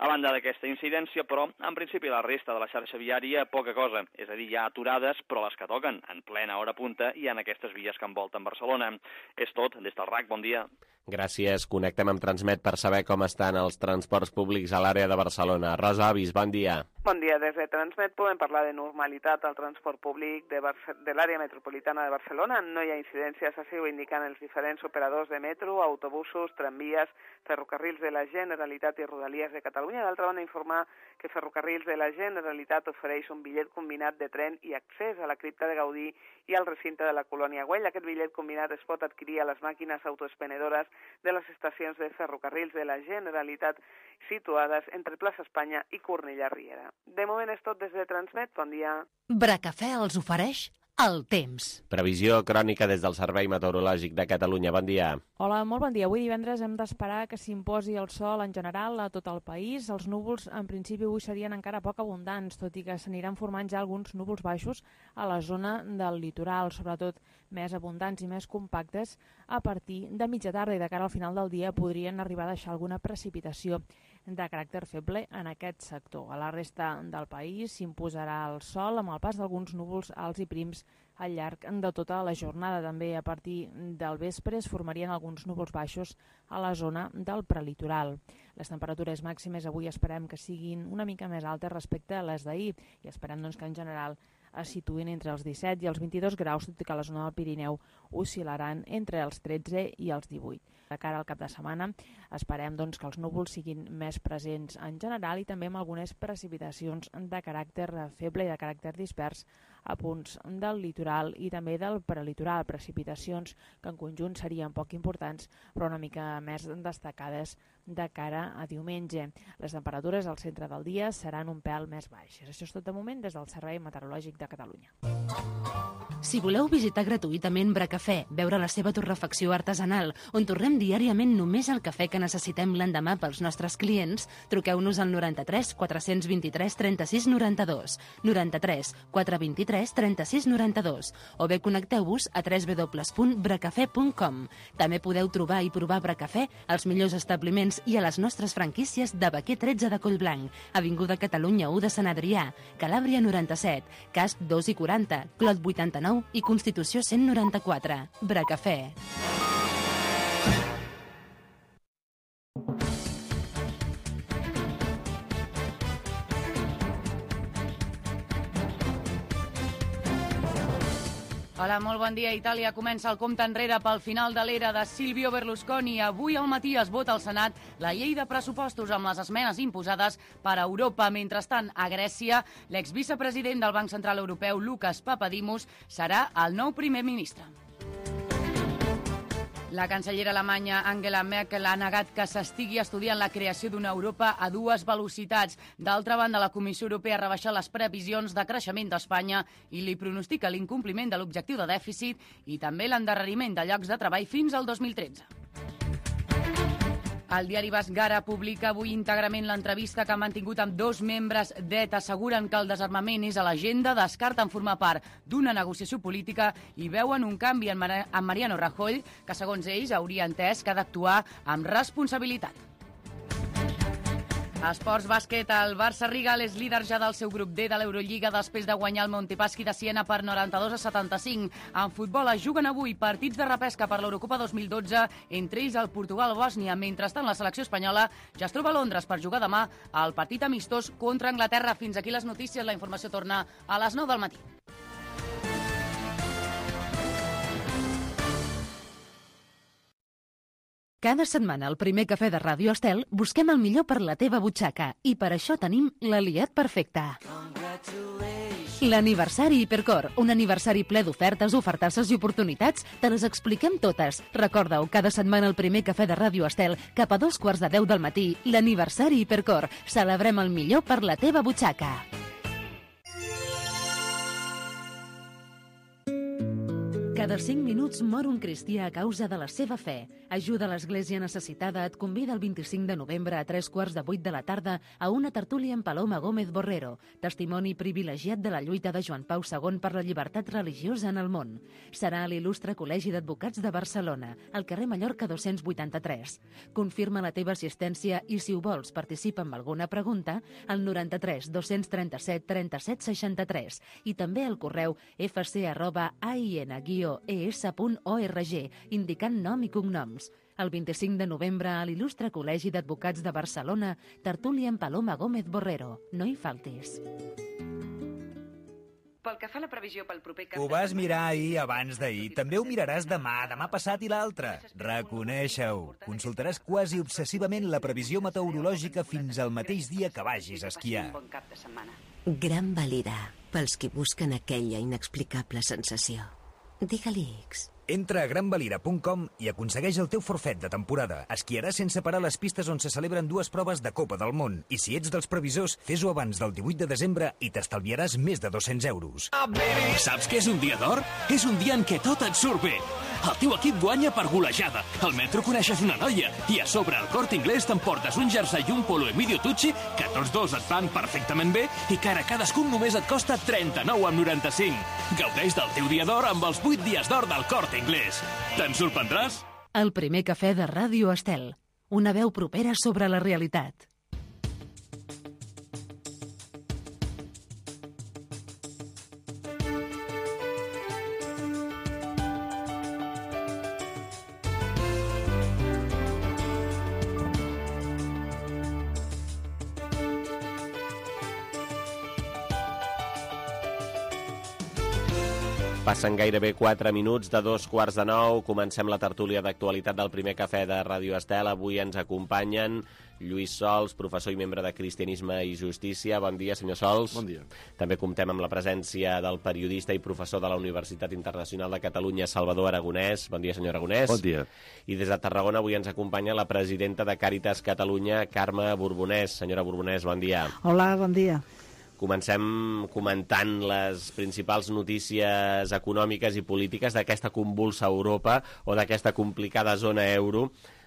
A banda d'aquesta incidència, però, en principi la resta de la xarxa viària, poca cosa. És a dir, hi ha aturades, però les que toquen en plena hora punta i en aquestes vies que envolten Barcelona. És tot, des del R A C, bon dia. Gràcies. Connectem amb Transmet per saber com estan els transports públics a l'àrea de Barcelona. Rosa Avis, bon dia. Bon dia. Des de Transmet podem parlar de normalitat al transport públic de, Barce de l'àrea metropolitana de Barcelona. No hi ha incidències, així ho indiquen els diferents operadors de metro, autobusos, tramvies, ferrocarrils de la Generalitat i Rodalies de Catalunya. D'altra banda, informar que Ferrocarrils de la Generalitat ofereix un bitllet combinat de tren i accés a la cripta de Gaudí i al recinte de la Colònia Güell. Aquest bitllet combinat es pot adquirir a les màquines autoexpenedores de les estacions de Ferrocarrils de la Generalitat situades entre Plaça Espanya i Cornellà Riera. De moment és tot des de Transmet. Bon dia. Bracafè els ofereix el temps. Previsió crònica des del Servei Meteorològic de Catalunya. Bon dia. Hola, molt bon dia. Avui divendres hem d'esperar que s'imposi el sol en general a tot el país. Els núvols, en principi, avui serien encara poc abundants, tot i que s'aniran formant ja alguns núvols baixos a la zona del litoral, sobretot més abundants i més compactes. A partir de mitja tarda i de cara al final del dia podrien arribar a deixar alguna precipitació de caràcter feble en aquest sector. A la resta del país s'imposarà el sol amb el pas d'alguns núvols alts i prims al llarg de tota la jornada. També a partir del vespre es formarien alguns núvols baixos a la zona del prelitoral. Les temperatures màximes avui esperem que siguin una mica més altes respecte a les d'ahir i esperem doncs, que en general es situïn entre els disset i els vint-i-dos graus, tot i que a la zona del Pirineu oscil·laran entre els tretze i els divuit. De cara al cap de setmana esperem doncs, que els núvols siguin més presents en general i també amb algunes precipitacions de caràcter feble i de caràcter dispers a punts del litoral i també del prelitoral. Precipitacions que en conjunt serien poc importants però una mica més destacades de cara a diumenge. Les temperatures al centre del dia seran un pèl més baixes. Això és tot de moment des del Servei Meteorològic de Catalunya. Si voleu visitar gratuïtament Bracafè, veure la seva torrefacció artesanal, on torrem diàriament només el cafè que necessitem l'endemà pels nostres clients, truqueu-nos al noranta-tres quatre vint-i-tres trenta-sis noranta-dos, noranta-tres quatre vint-i-tres trenta-sis noranta-dos, o bé connecteu-vos a w w w punt bracafè punt com. També podeu trobar i provar Bracafè als millors establiments i a les nostres franquícies de Baquer tretze de Collblanc, Avinguda Catalunya u de Sant Adrià, Calàbria noranta-set, Casp dos i quaranta, Clot vuitanta-nou i Constitució cent noranta-quatre. Bracafè. Hola, molt bon dia. Itàlia comença el compte enrere pel final de l'era de Silvio Berlusconi. Avui al matí es vota al Senat la llei de pressupostos amb les esmenes imposades per Europa. Mentrestant, a Grècia, l'exvicepresident del Banc Central Europeu, Lucas Papadimos, serà el nou primer ministre. La cancellera alemanya Angela Merkel ha negat que s'estigui estudiant la creació d'una Europa a dues velocitats. D'altra banda, la Comissió Europea ha rebaixat les previsions de creixement d'Espanya i li pronostica l'incompliment de l'objectiu de dèficit i també l'endarreriment de llocs de treball fins al dos mil tretze. El diari basc Gara publica avui íntegrament l'entrevista que ha mantingut amb dos membres d'E T A. Asseguren que el desarmament és a l'agenda, descarten formar part d'una negociació política i veuen un canvi en Mariano Rajoy, que segons ells hauria entès que ha d'actuar amb responsabilitat. Esports bàsquet, el Barça Rigal és líder ja del seu grup D de l'Eurolliga després de guanyar el Montepaschi de Siena per noranta-dos a setanta-cinc. En futbol es juguen avui partits de repesca per l'Eurocopa dos mil dotze, entre ells el Portugal-Bòsnia. Mentrestant, la selecció espanyola ja es troba a Londres per jugar demà al partit amistós contra Anglaterra. Fins aquí les notícies. La informació torna a les nou del matí. Cada setmana al primer cafè de Ràdio Estel busquem el millor per la teva butxaca i per això tenim l'aliat perfecte. L'aniversari Hipercor, un aniversari ple d'ofertes, ofertasses i oportunitats, te les expliquem totes. Recorda-ho, cada setmana al primer cafè de Ràdio Estel, cap a dos quarts de deu del matí, l'aniversari Hipercor. Celebrem el millor per la teva butxaca. Cada cinc minuts mor un cristià a causa de la seva fe. Ajuda a l'Església Necessitada et convida el vint-i-cinc de novembre a tres quarts de vuit de la tarda a una tertúlia amb Paloma Gómez Borrero, testimoni privilegiat de la lluita de Joan Pau segon per la llibertat religiosa en el món. Serà a l'Il·lustre Col·legi d'Advocats de Barcelona, al carrer Mallorca dos-cents vuitanta-tres. Confirma la teva assistència i, si ho vols, participa amb alguna pregunta al noranta-tres dos-cents trenta-set trenta-set seixanta-tres i també al correu f c arroba a i n guió e s punt org, indicant nom i cognoms. El vint-i-cinc de novembre a l'Il·lustre Col·legi d'Advocats de Barcelona, tertúlia amb Paloma Gómez Borrero. No hi faltis. Pel que fa a la previsió pel proper cap... Ho vas mirar ahir abans d'ahir. També ho miraràs demà, demà passat i l'altre. Reconeixa-ho. Consultaràs quasi obsessivament la previsió meteorològica fins al mateix dia que vagis a esquiar. Gran Valira, pels qui busquen aquella inexplicable sensació. Digue-li X. Entra a gran valira punt com i aconsegueix el teu forfet de temporada. Esquiaràs sense parar les pistes on se celebren dues proves de Copa del Món. I si ets dels previsors, fes-ho abans del divuit de desembre i t'estalviaràs més de dos-cents euros. Saps què és un dia d'or? És un dia en què tot et surt bé. El teu equip guanya per golejada. Al metro coneixes una noia. I a sobre, al Corte Inglés t'emportes un jersei i un polo Emilio Tucci que tots dos et van perfectament bé i que ara cadascun només et costa trenta-nou amb noranta-cinc. Gaudeix del teu dia d'or amb els vuit dies d'or del Corte Inglés. Te'n sorprendràs? El primer cafè de Ràdio Estel. Una veu propera sobre la realitat. Passen gairebé quatre minuts de dos quarts de nou. Comencem la tertúlia d'actualitat del primer cafè de Ràdio Estel. Avui ens acompanyen Lluís Sols, professor i membre de Cristianisme i Justícia. Bon dia, senyor Sols. Bon dia. També comptem amb la presència del periodista i professor de la Universitat Internacional de Catalunya, Salvador Aragonès. Bon dia, senyor Aragonès. Bon dia. I des de Tarragona avui ens acompanya la presidenta de Càritas Catalunya, Carme Borbonès. Senyora Borbonès, bon dia. Hola, bon dia. Comencem comentant les principals notícies econòmiques i polítiques d'aquesta convulsa Europa o d'aquesta complicada zona euro.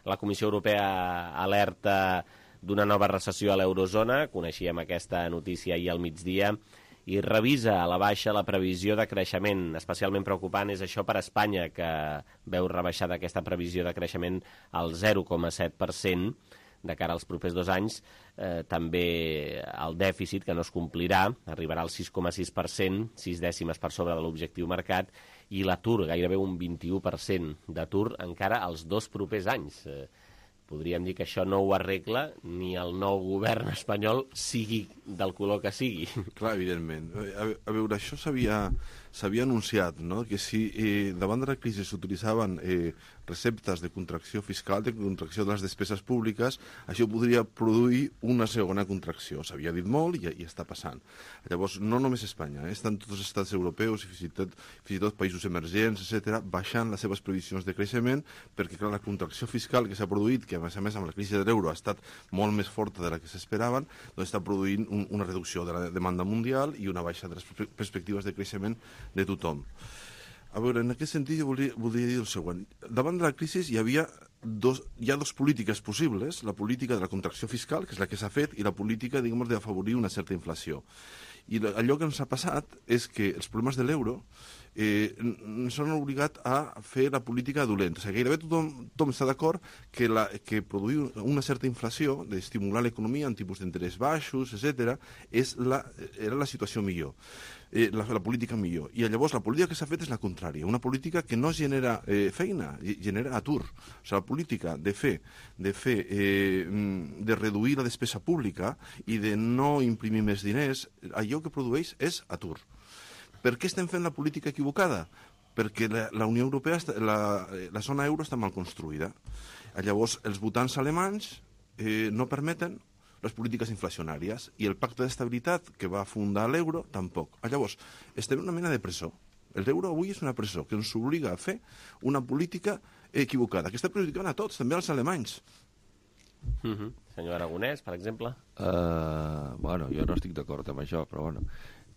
La Comissió Europea alerta d'una nova recessió a l'eurozona, coneixíem aquesta notícia ahir al migdia, i revisa a la baixa la previsió de creixement. Especialment preocupant és això per Espanya, que veu rebaixada aquesta previsió de creixement al zero coma set per cent de cara als propers dos anys. Eh, també el dèficit, que no es complirà, arribarà al sis coma sis per cent, sis dècimes per sobre de l'objectiu marcat, i l'atur, gairebé un vint-i-u per cent d'atur encara als dos propers anys. Eh, podríem dir que això no ho arregla ni el nou govern espanyol, sigui del color que sigui. Clar, evidentment. A, a veure, això s'havia s'havia anunciat, no?, que si eh, davant de la crisi s'utilitzaven eh, receptes de contracció fiscal, de contracció de les despeses públiques, això podria produir una segona contracció. S'havia dit molt i, i està passant. Llavors, no només Espanya, eh, estan tots els estats europeus i fins i tot, fins i tot països emergents, etcètera, baixant les seves previsions de creixement, perquè clar, la contracció fiscal que s'ha produït, que a més a més amb la crisi de l'euro ha estat molt més forta de la que s'esperaven, doncs està produint un, una reducció de la demanda mundial i una baixa de les perspectives de creixement de tothom. A veure, en aquest sentit jo volia, volia dir el següent. Davant de la crisi hi havia dos, hi ha dues polítiques possibles, la política de la contracció fiscal, que és la que s'ha fet, i la política, diguem, d'afavorir una certa inflació. I allò que ens ha passat és que els problemes de l'euro eh, ens han obligat a fer la política dolenta. O sigui, gairebé tothom, tothom està d'acord que, la, que produir una certa inflació, d'estimular l'economia en tipus d'interès baixos, etcètera, és la, era la situació millor. Eh, la, la política millor. I llavors la política que s'ha fet és la contrària, una política que no genera eh, feina, genera atur. O sigui, la política de fer, de, fer eh, de reduir la despesa pública i de no imprimir més diners, allò que produeix és atur. Per què estem fent la política equivocada? Perquè la, la Unió Europea, la, la zona euro està mal construïda. Llavors, els votants alemanys eh, no permeten les polítiques inflacionàries, i el pacte d'estabilitat que va fundar l'euro tampoc. Llavors, estem en una mena de presó. L'euro avui és una presó que ens obliga a fer una política equivocada, que està perjudicant a tots, també als alemanys. Mm-hmm. Senyor Aragonès, per exemple? Uh, bueno, jo no estic d'acord amb això, però bueno,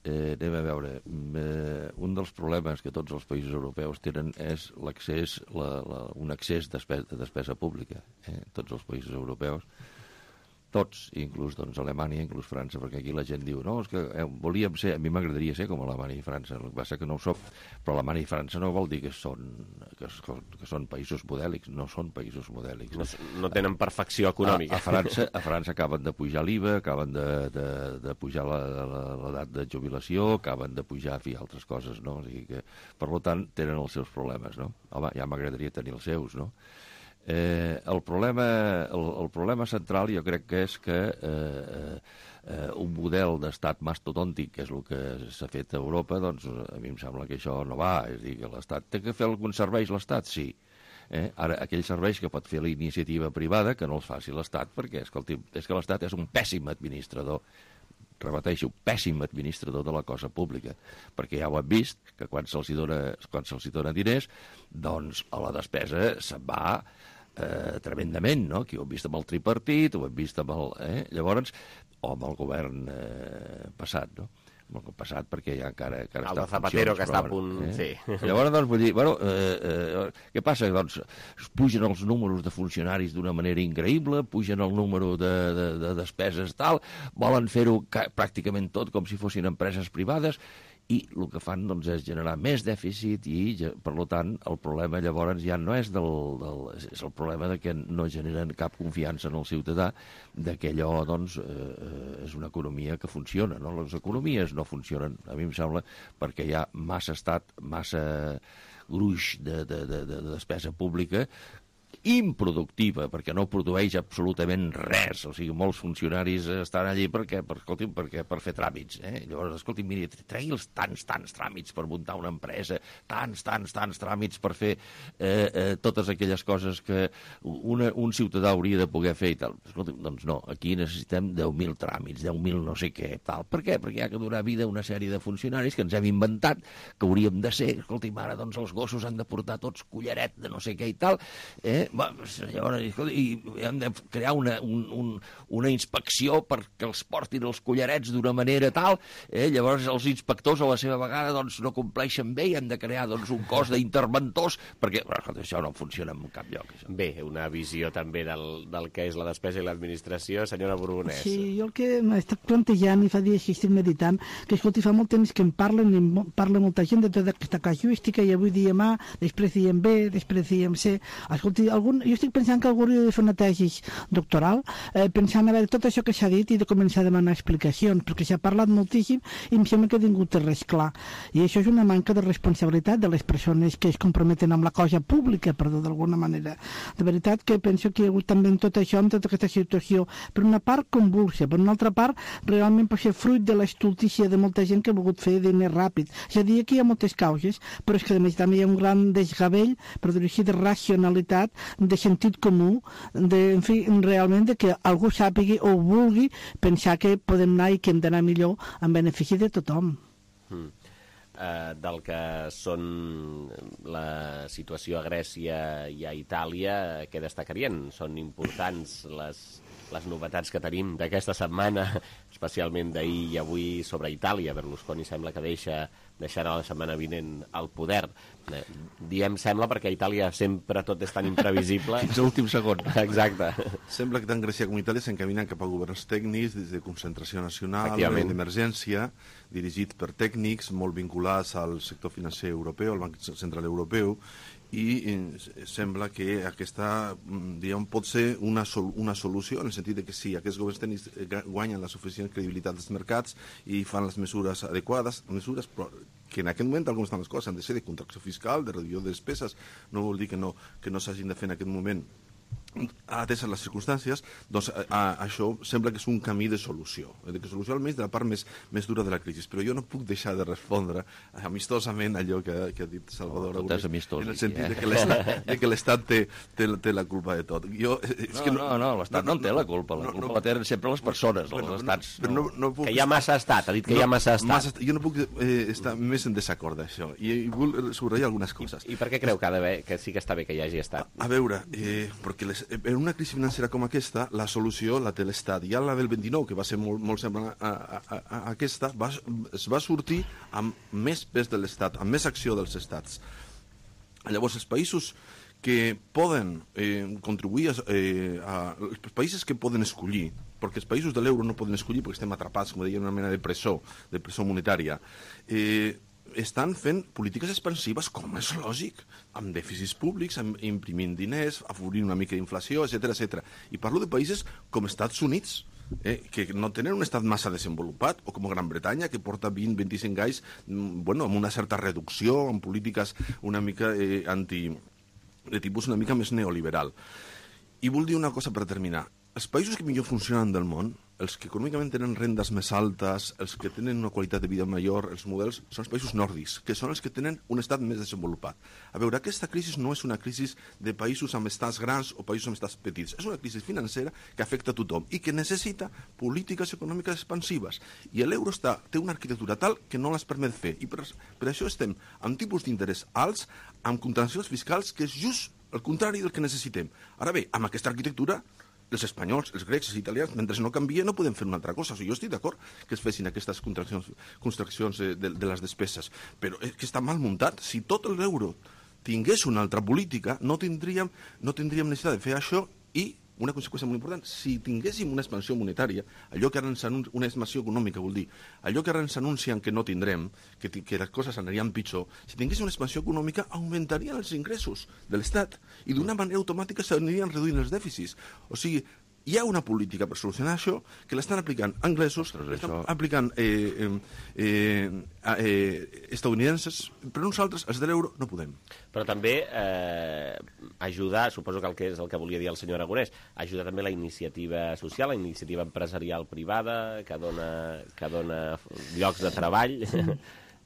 eh, anem a veure. Eh, un dels problemes que tots els països europeus tenen és l'accés, la, la, un accés de despesa, de despesa pública. Eh? Tots els països europeus, tots, inclús doncs, Alemanya, inclús França, perquè aquí la gent diu, no, és que eh, volíem ser, a mi m'agradaria ser com Alemanya i França, el que passa que no ho soc, però Alemanya i França no vol dir que són, que, que són països modèlics, no són països modèlics. No, no tenen perfecció econòmica. A, a, França, a França acaben de pujar l'I V A, acaben de, de, de pujar l'edat de jubilació, acaben de pujar, fi, altres coses, no? O sigui que, per tant, tenen els seus problemes, no? Home, ja m'agradaria tenir els seus, no? Eh, el, problema, el, el problema central jo crec que és que eh, eh, un model d'estat mastodòntic, que és el que s'ha fet a Europa, doncs a mi em sembla que això no va. És a dir, que l'Estat té que fer alguns serveis, l'Estat, sí. Eh? Ara, aquells serveis que pot fer la iniciativa privada, que no els faci l'Estat, perquè escolti, és que l'Estat és un pèssim administrador, repeteixo, pèssim administrador de la cosa pública, perquè ja ho hem vist, que quan se'ls dona, quan se'ls dona diners, doncs a la despesa se'n va Eh, tremendament, no? Aquí ho hem vist amb el tripartit, ho hem vist amb el... Eh? Llavors, o amb el govern eh, passat, no? Amb el passat, perquè ja encara, encara el està de Zapatero, funcions, que està a punt... Eh? Sí. Llavors, doncs, vull dir, bueno, eh, eh, què passa? Doncs es pugen els números de funcionaris d'una manera increïble, pugen el número de, de, de despeses tal, volen fer-ho pràcticament tot com si fossin empreses privades, i el que fan doncs, és generar més dèficit i, per tant, el problema llavors ja no és del, del... és el problema de que no generen cap confiança en el ciutadà, de que allò doncs, eh, és una economia que funciona. No? Les economies no funcionen, a mi em sembla, perquè hi ha massa estat, massa gruix de, de, de, de despesa pública improductiva, perquè no produeix absolutament res. O sigui, molts funcionaris estan allí perquè, per, escolti, perquè, per fer tràmits. Eh? Llavors, escolti, miri, tregui els tants, tants tràmits per muntar una empresa, tants, tants, tants tràmits per fer eh, eh, totes aquelles coses que una, un ciutadà hauria de poder fer i tal. Escolti, doncs no, aquí necessitem deu mil tràmits, deu mil no sé què, tal. Per què? Perquè hi ha que donar vida a una sèrie de funcionaris que ens hem inventat, que hauríem de ser, escolti, ara doncs els gossos han de portar tots collaret de no sé què i tal, eh? Llavors, i hem de crear una, un, un, una inspecció perquè els portin els collarets d'una manera tal, eh? Llavors els inspectors a la seva vegada doncs, no compleixen bé i hem de crear doncs, un cos d'interventors perquè però, això no funciona en cap lloc. Això. Bé, una visió també del, del que és la despesa i l'administració. Senyora Borbonès. Sí, jo el que m'he estat plantejant i fa dies que estic meditant, que escolti, fa molt temps que en parlen i parla molta gent de tota aquesta casuística i avui diem A, després diem B, després diem C. Escolti, algun, jo estic pensant que algú hauria de fer una tesi doctoral, eh, pensant a veure tot això que s'ha dit i de començar a demanar explicacions, perquè s'ha parlat moltíssim i em sembla que ningú té res clar. I això és una manca de responsabilitat de les persones que es comprometen amb la cosa pública, perdó, d'alguna manera. De veritat que penso que hi ha hagut també en tot això, en tota aquesta situació, per una part convulsa, per una altra part realment pot ser fruit de l'estultícia de molta gent que ha volgut fer diners ràpid. És a dir, aquí hi ha moltes causes, però és que a més també hi ha un gran desgavell, per dir així, de racionalitat, de sentit comú, de, en fi, realment de que algú sàpigui o vulgui pensar que podem anar i que hem d'anar millor en benefici de tothom. Mm. Uh, del que són la situació a Grècia i a Itàlia, què destacarien? Són importants les, les novetats que tenim d'aquesta setmana, especialment d'ahir i avui sobre Itàlia. Berlusconi sembla que deixa, deixarà la setmana vinent al poder. Eh, diem sembla perquè a Itàlia sempre tot és tan imprevisible. Fins a l'últim segon. Exacte. Sembla que tant Grècia com Itàlia s'encaminen cap a governs tècnics des de concentració nacional, d'emergència, dirigit per tècnics molt vinculats al sector financer europeu, al Banc Central Europeu, i eh, sembla que aquesta diguem, pot ser una, sol una solució en el sentit de que si aquests governs tècnics guanyen la suficient credibilitat dels mercats i fan les mesures adequades, mesures però que en aquest moment, tal com estan les coses, han de ser de contracció fiscal, de reducció de despeses, no vol dir que no, que no s'hagin de fer en aquest moment ateses les circumstàncies, doncs a, a, això sembla que és un camí de solució, de que solució almenys de la part més, més dura de la crisi. Però jo no puc deixar de respondre amistosament allò que, que ha dit Salvador oh, amistós, en el sentit eh? de que l'Estat té, té, té la culpa de tot. Jo, és no, que no, no, no, l'Estat no, no en té la culpa, la culpa no, la tenen sempre les persones, els bueno, estats. No, no, no puc... Que hi ha massa estat, ha dit que no, hi ha massa estat. Massa, jo no puc eh, estar més en desacord d'això, i, i vull subratllar algunes coses. I, I per què creu que, ha d'haver, que sí que està bé que hi hagi estat? A, a veure, eh, perquè les, en una crisi financera com aquesta, la solució la té l'Estat. Ja la del vint-i-nou, que va ser molt, molt semblant a, a, a, a aquesta, va, es va sortir amb més pes de l'Estat, amb més acció dels estats. Llavors, els països que poden eh, contribuir a, eh, a... Els països que poden escollir, perquè els països de l'euro no poden escollir perquè estem atrapats, com deia, en una mena de presó, de presó monetària, eh, estan fent polítiques expansives, com és lògic, amb dèficits públics, amb imprimint diners, afavorint una mica d'inflació, etcètera, etcètera. I parlo de països com Estats Units, eh, que no tenen un estat massa desenvolupat, o com Gran Bretanya, que porta vint a vint-i-cinc anys bueno, amb una certa reducció, amb polítiques una mica eh, anti... de tipus una mica més neoliberal. I vull dir una cosa per terminar. Els països que millor funcionen del món, els que econòmicament tenen rendes més altes, els que tenen una qualitat de vida millor, els models, són els països nòrdics, que són els que tenen un estat més desenvolupat. A veure, aquesta crisi no és una crisi de països amb estats grans o països amb estats petits. És una crisi financera que afecta a tothom i que necessita polítiques econòmiques expansives. I l'euro té una arquitectura tal que no les permet fer. I per, per això estem amb tipus d'interès alts, amb contencions fiscals, que és just el contrari del que necessitem. Ara bé, amb aquesta arquitectura, els espanyols, els grecs, els italians, mentre no canvia no podem fer una altra cosa. O sigui, jo estic d'acord que es fessin aquestes contraccions, contraccions de, de, de les despeses, però és que està mal muntat. Si tot l'euro tingués una altra política, no tindríem, no tindríem necessitat de fer això i una conseqüència molt important, si tinguéssim una expansió monetària, allò que ara ens anuncien, una expansió econòmica vol dir, allò que ara ens anuncien que no tindrem, que, que les coses anirien pitjor, si tinguéssim una expansió econòmica augmentarien els ingressos de l'Estat i d'una manera automàtica s'anirien reduint els dèficits. O sigui, hi ha una política per solucionar això que l'estan aplicant anglesos, l'estan aplicant eh, eh, eh, estadounidenses, però nosaltres, els de l'euro, no podem. Però també eh, ajudar, suposo que el que és el que volia dir el senyor Aragonès, ajudar també la iniciativa social, la iniciativa empresarial privada, que dona, que dona llocs de treball...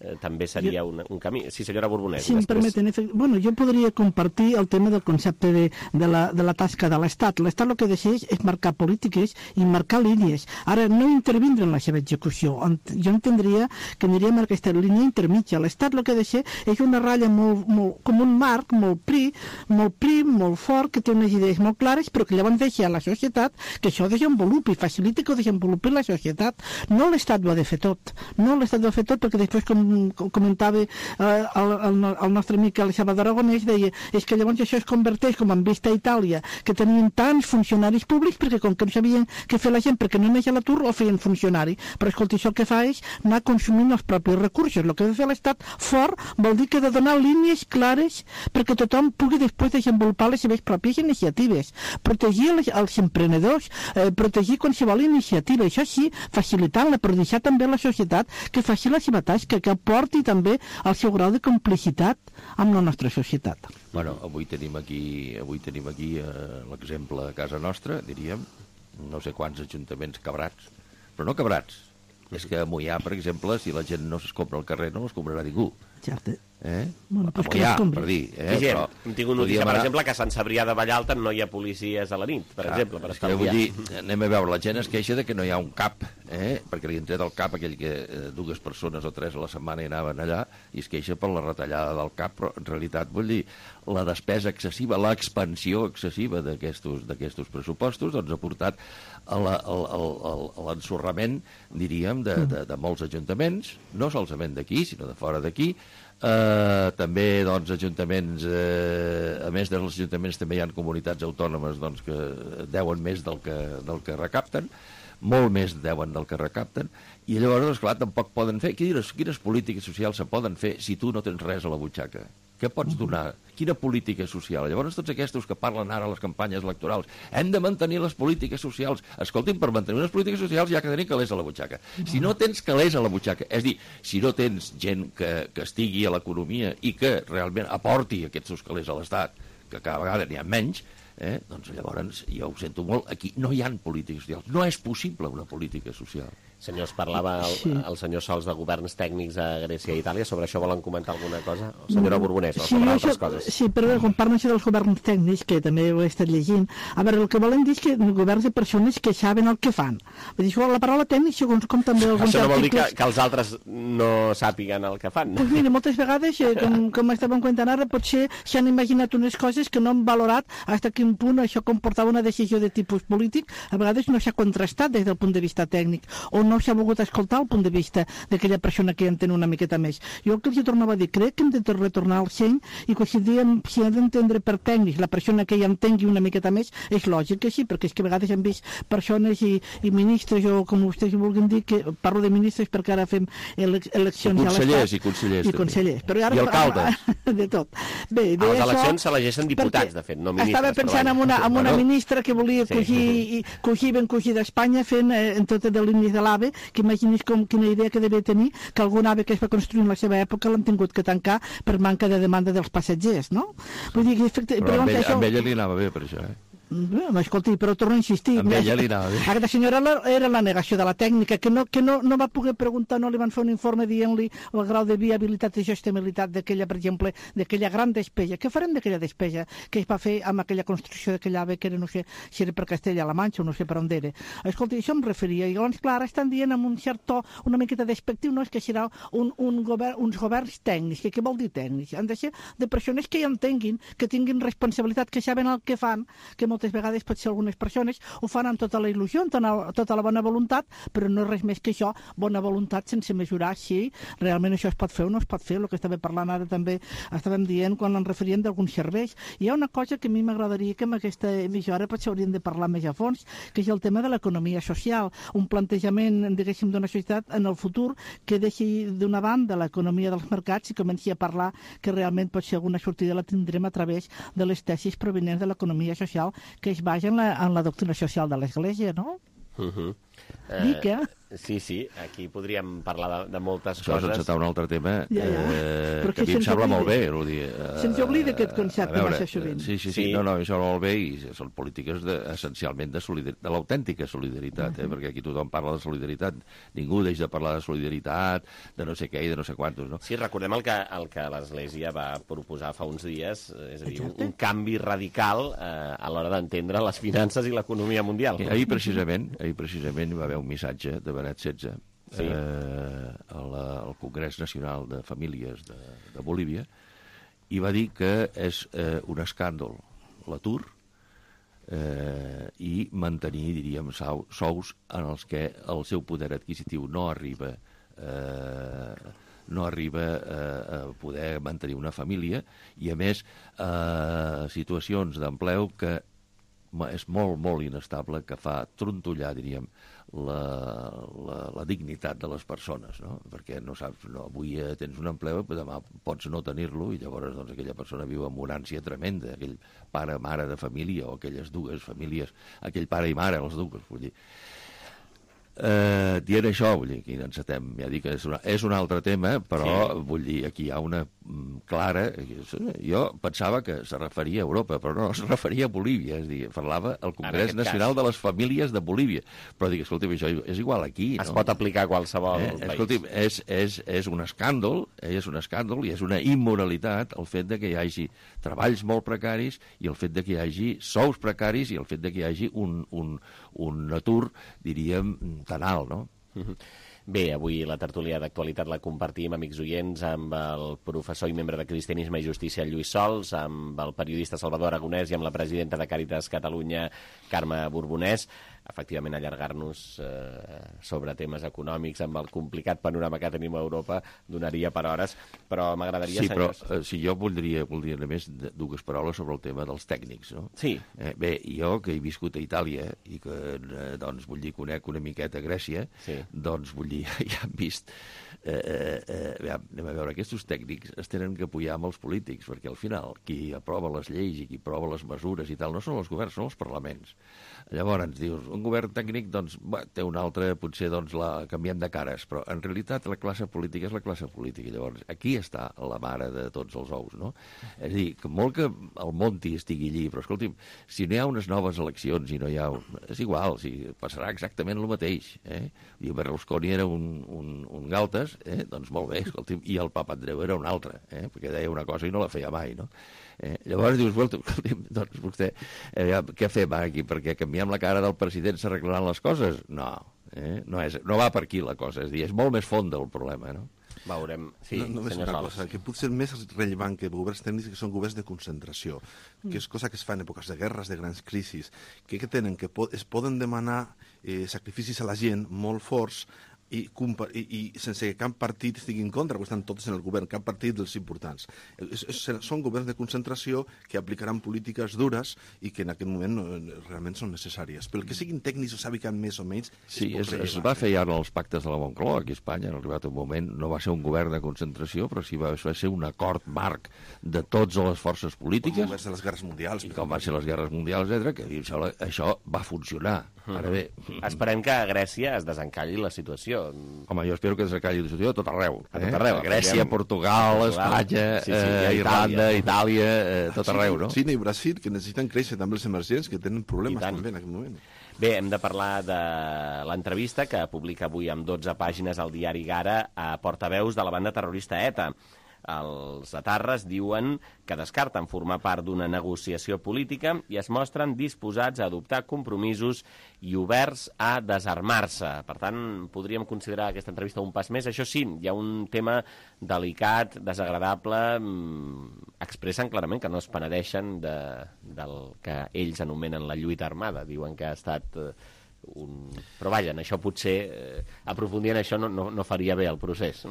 Eh, també seria un, un camí. Sí, senyora Borbonès. Si em permeten, bueno, jo podria compartir el tema del concepte de, de, la, de la tasca de l'Estat. L'Estat el que decideix és marcar polítiques i marcar línies. Ara, no intervindre en la seva execució. Jo entendria que aniríem a aquesta línia intermitja. L'Estat el que deixa és una ratlla molt, molt, com un marc, molt prim, molt prim, molt fort, que té unes idees molt clares, però que llavors deixa a la societat que això desenvolupi, faciliti que ho desenvolupi la societat. No l'Estat ho ha de fer tot. No l'Estat ho ha de fer tot, perquè després, com com comentava eh, el, el, el nostre amic el Salvador Aragonès, deia és que llavors això es converteix com en vista a Itàlia, que tenien tants funcionaris públics perquè com que no sabien què fer la gent perquè no anés a l'atur, el feien funcionari. Però escolta, això el que fa és anar consumint els propis recursos. El que ha de fer l'Estat fort vol dir que ha de donar línies clares perquè tothom pugui després desenvolupar les seves pròpies iniciatives, protegir els, els emprenedors, eh, protegir qualsevol iniciativa, això sí, facilitant-la, però deixar també a la societat que faci la seva tasca, que aporti també el seu grau de complicitat amb la nostra societat. Bueno, avui tenim aquí, avui tenim aquí eh, l'exemple de casa nostra, diríem, no sé quants ajuntaments quebrats, però no quebrats. És que a Moià, per exemple, si la gent no s'escombra al carrer, no l'escombrarà ningú. Cert, Eh? Bueno, pues a Moià, per dir. Eh? Gent, Però hem tingut notícia, per anar... exemple, que a Sant Cebrià de Vallalta no hi ha policies a la nit, per Clar, exemple, per estar vull dir, anem a veure, la gent es queixa de que no hi ha un cap, eh? perquè li han tret el cap aquell que eh, dues persones o tres a la setmana hi anaven allà, i es queixa per la retallada del cap, però en realitat, vull dir, la despesa excessiva, l'expansió excessiva d'aquests pressupostos, doncs ha portat a l'ensorrament, diríem, de, de, de molts ajuntaments, no solament d'aquí, sinó de fora d'aquí. Uh, també doncs, ajuntaments, uh, a més dels ajuntaments també hi ha comunitats autònomes doncs, que deuen més del que, del que recapten, molt més deuen del que recapten, i llavors, esclar, tampoc poden fer. Quines, quines polítiques socials se poden fer si tu no tens res a la butxaca? Què pots donar? Quina política social? Llavors, tots aquests que parlen ara a les campanyes electorals, hem de mantenir les polítiques socials. Escoltin, per mantenir les polítiques socials ja que tenim calés a la butxaca. Si no tens calés a la butxaca, és dir, si no tens gent que, que estigui a l'economia i que realment aporti aquests seus calés a l'Estat, que cada vegada n'hi ha menys, eh, doncs llavors, jo ho sento molt, aquí no hi ha polítiques socials. No és possible una política social. Senyors, parlava el, sí. el senyor Sols de governs tècnics a Grècia i Itàlia. Sobre això volen comentar alguna cosa? Senyora Borbonès, o sobre sí, altres això, coses? Sí, però quan parlen això dels governs tècnics, que també ho he estat llegint, a veure, el que volen dir és que governs de persones que saben el que fan. Vull dir, la paraula tècnic, segons com també alguns això no vol dir articles... que, que els altres no sàpiguen el que fan. Doncs pues mira, moltes vegades, eh, com, com estàvem comentant ara, potser s'han imaginat unes coses que no han valorat fins a quin punt això comportava una decisió de tipus polític. A vegades no s'ha contrastat des del punt de vista tècnic, o no s'ha volgut escoltar el punt de vista d'aquella persona que entén una miqueta més. Jo el que els tornava a dir, crec que hem de retornar al seny i que si, diem, si hem d'entendre per tècnics la persona que ja entengui una miqueta més, és lògic que sí, perquè és que a vegades hem vist persones i, i ministres, o com vostès vulguin dir, que parlo de ministres perquè ara fem ele eleccions a l'Estat. I consellers, i consellers. Però ara, I alcaldes. De tot. Bé, a les eleccions s'elegeixen diputats, de fet, no ministres. Estava pensant en una, en una bueno, ministra que volia sí. cogir, cogir ben cogir d'Espanya fent eh, en totes les línies de l'AVE, que imaginis com quina idea que devia tenir, que algun AVE que es va construir en la seva època l'han tingut que tancar per manca de demanda dels passatgers, no? Vull dir que... Però, però amb, ella, això... amb ella li anava bé per això, eh? No, escolti, però torno a insistir. Amb ella li anava bé. Aquesta senyora era la negació de la tècnica, que no, que no, no va poder preguntar, no li van fer un informe dient-li el grau de viabilitat i sostenibilitat d'aquella, per exemple, d'aquella gran despesa. Què farem d'aquella despesa que es va fer amb aquella construcció d'aquella AVE, que era, no sé, si era per Castella-La Manxa o no sé per on era. Escolti, això em referia. I llavors, clar, estan dient amb un cert to una miqueta despectiu, no és que serà un, un govern, uns governs tècnics. Que què vol dir tècnics? Han de ser de persones que hi entenguin, que tinguin responsabilitat, que saben el que fan, que moltes vegades potser algunes persones ho fan amb tota la il·lusió, amb tota la bona voluntat, però no és res més que això, bona voluntat sense mesurar si realment això es pot fer o no es pot fer. El que estava parlant ara també estàvem dient quan ens referien d'alguns serveis. Hi ha una cosa que a mi m'agradaria que en aquesta emissora potser hauríem de parlar més a fons, que és el tema de l'economia social, un plantejament, diguéssim, d'una societat en el futur que deixi d'una banda l'economia dels mercats i comenci a parlar que realment potser alguna sortida la tindrem a través de les tesis provenents de l'economia social que es basa en la, en la doctrina social de l'Església, no? Uh-huh. Dic, eh? Sí, sí, aquí podríem parlar de, de moltes Això coses. Això és encetar un altre tema ja, ja. eh, que, que a mi em sembla molt bé. Eh, se'ns oblida aquest concepte veure, massa sovint. Sí, sí, sí, sí. No, no, això molt bé i són polítiques de, essencialment de, solidaritat, de l'autèntica solidaritat, eh, uh-huh. perquè aquí tothom parla de solidaritat. Ningú deixa de parlar de solidaritat, de no sé què i de no sé quantos, no? Sí, recordem el que, el que l'Església va proposar fa uns dies, és a dir, un, un canvi radical eh, a l'hora d'entendre les finances i l'economia mundial. I ahir precisament, ahir precisament hi va haver un missatge de Benet setze, sí. eh, al, al Congrés Nacional de Famílies de, de Bolívia, i va dir que és eh, un escàndol l'atur eh, i mantenir, diríem, sous en els que el seu poder adquisitiu no arriba eh, no arriba a poder mantenir una família i, a més, eh, situacions d'empleo que és molt, molt inestable, que fa trontollar, diríem, la, la, la dignitat de les persones, no? Perquè no saps, no, avui tens un empleo, però demà pots no tenir-lo i llavors doncs, aquella persona viu amb una ànsia tremenda, aquell pare, mare de família o aquelles dues famílies, aquell pare i mare, els dues, vull dir. Eh, dient això, vull dir, aquí encetem, ja dic que és, una, és un altre tema, però sí. Vull dir, aquí hi ha una mm, clara... Jo pensava que se referia a Europa, però no, es referia a Bolívia, és a dir, parlava al Congrés Nacional cas. de les Famílies de Bolívia, però dic, escolta'm, això és igual aquí, es no? pot aplicar a qualsevol eh, país. Escolta'm, és, és, és un escàndol, és un escàndol i és una immoralitat el fet de que hi hagi treballs molt precaris i el fet de que hi hagi sous precaris i el fet de que hi hagi un, un, un atur, diríem, tan alt, no? Bé, avui la tertúlia d'actualitat la compartim, amics oients, amb el professor i membre de Cristianisme i Justícia, Lluís Sols, amb el periodista Salvador Aragonès i amb la presidenta de Càritas Catalunya, Carme Borbonès. Efectivament, allargar-nos eh, sobre temes econòmics amb el complicat panorama que tenim a Europa donaria per hores, però m'agradaria... Sí, senyors... però eh, si jo voldria, voldria només dues paraules sobre el tema dels tècnics, no? Sí. Eh, bé, jo que he viscut a Itàlia i que, eh, doncs, vull dir, conec una miqueta Grècia, sí. Doncs, vull dir, ja hem vist... Eh, eh, eh, anem a veure, aquests tècnics es tenen que apoyar amb els polítics, perquè al final qui aprova les lleis i qui aprova les mesures i tal no són els governs, són els parlaments. Llavors dius, un govern tècnic doncs, bé, té un altre, potser doncs, la canviem de cares, però en realitat la classe política és la classe política. Llavors aquí està la mare de tots els ous, no? És a dir, que molt que el Monti estigui allí, però escolti'm, si no hi ha unes noves eleccions i no hi ha... És igual, si passarà exactament el mateix. Eh? I Berlusconi era un, un, un galtes, eh? Doncs molt bé, escolti'm, i el Papandreou era un altre, eh? Perquè deia una cosa i no la feia mai, no? Eh, llavors dius, escolti'm, doncs vostè, eh, què fem aquí? Perquè canviem la cara del president s'arreglaran les coses? No, eh? no, és, no va per aquí la cosa, és dir, és molt més fonda el problema, no? Veurem, sí, no, només una cosa, que pot ser més rellevant que governs tècnics, que són governs de concentració, que és cosa que es fa en èpoques de guerres, de grans crisis, que, que tenen, que po es poden demanar eh, sacrificis a la gent molt forts i, i, i sense que cap partit estigui en contra, perquè estan tots en el govern, cap partit dels importants. És, és, són governs de concentració que aplicaran polítiques dures i que en aquest moment no, realment són necessàries. Pel que siguin tècnics o sàpiguen més o menys... Sí, es, es va fer ja en els pactes de la Moncloa, aquí a Espanya, en arribat un moment, no va ser un govern de concentració, però sí va, va ser un acord marc de totes les forces polítiques. Com va ser les guerres mundials. I com van ser les guerres mundials, etcètera, que això, això va funcionar. Ara bé... Esperem que a Grècia es desencalli la situació. Home, jo espero que desencalli la situació a tot arreu. A tot arreu. Eh? A Grècia, Portugal, Espanya, sí, sí, eh, Irlanda, Itàlia, eh, tot arreu, no? Xina i Brasil, que necessiten créixer també els emergents, que tenen problemes també en aquest moment. Bé, hem de parlar de l'entrevista que publica avui amb dotze pàgines al diari Gara a portaveus de la banda terrorista ETA. Els etarres diuen que descarten formar part d'una negociació política i es mostren disposats a adoptar compromisos i oberts a desarmar-se. Per tant, podríem considerar aquesta entrevista un pas més. Això sí, hi ha un tema delicat, desagradable. Expressen clarament que no es penedeixen de, del que ells anomenen la lluita armada. Diuen que ha estat... Un... Però vaja, això potser eh, aprofundir en això no, no, no faria bé el procés.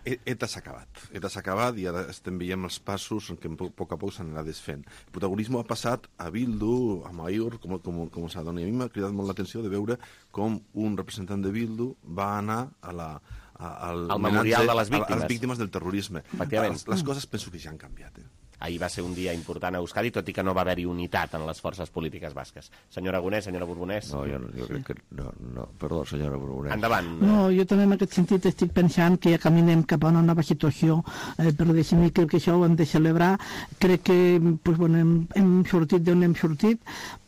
ETA s'ha acabat. ETA s'ha acabat i ara estem veient els passos en què a poc a poc s'anirà desfent. El protagonisme ha passat a Bildu, a Maior, com, com, com s'adona. I a mi m'ha cridat molt l'atenció de veure com un representant de Bildu va anar a la, a, al el memorial de les víctimes. A, a les víctimes del terrorisme. Les, les coses penso que ja han canviat. Eh? ahir va ser un dia important a Euskadi, tot i que no va haver-hi unitat en les forces polítiques basques. Senyor Aragonès, senyora Borbonès. No, jo, no, jo crec que... No, no, perdó, senyora Borbonès. Endavant. No, jo també en aquest sentit estic pensant que ja caminem cap a una nova situació, eh, però deixem que, que això ho hem de celebrar. Crec que pues, bueno, hem, hem sortit d'on hem sortit,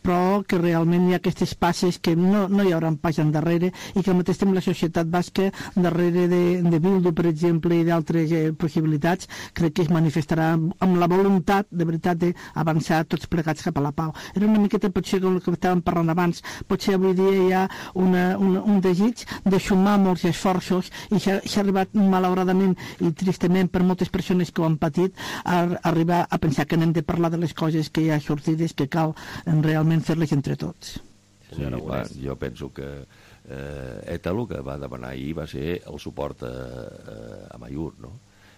però que realment hi ha aquestes passes que no, no hi haurà pas endarrere i que al mateix temps la societat basca darrere de, de Bildu, per exemple, i d'altres eh, possibilitats, crec que es manifestarà amb la voluntat, de veritat, d'avançar tots plegats cap a la pau. Era una miqueta, potser, com el que estàvem parlant abans, potser avui dia hi ha una, una, un desig de sumar molts esforços i s'ha arribat, malauradament i tristament per moltes persones que ho han patit, a, a arribar a pensar que n'hem de parlar de les coses que hi ha sortides, que cal realment fer-les entre tots. Sí, va, jo penso que eh, ETA el que va demanar ahir va ser el suport a, a, a Mayur, no?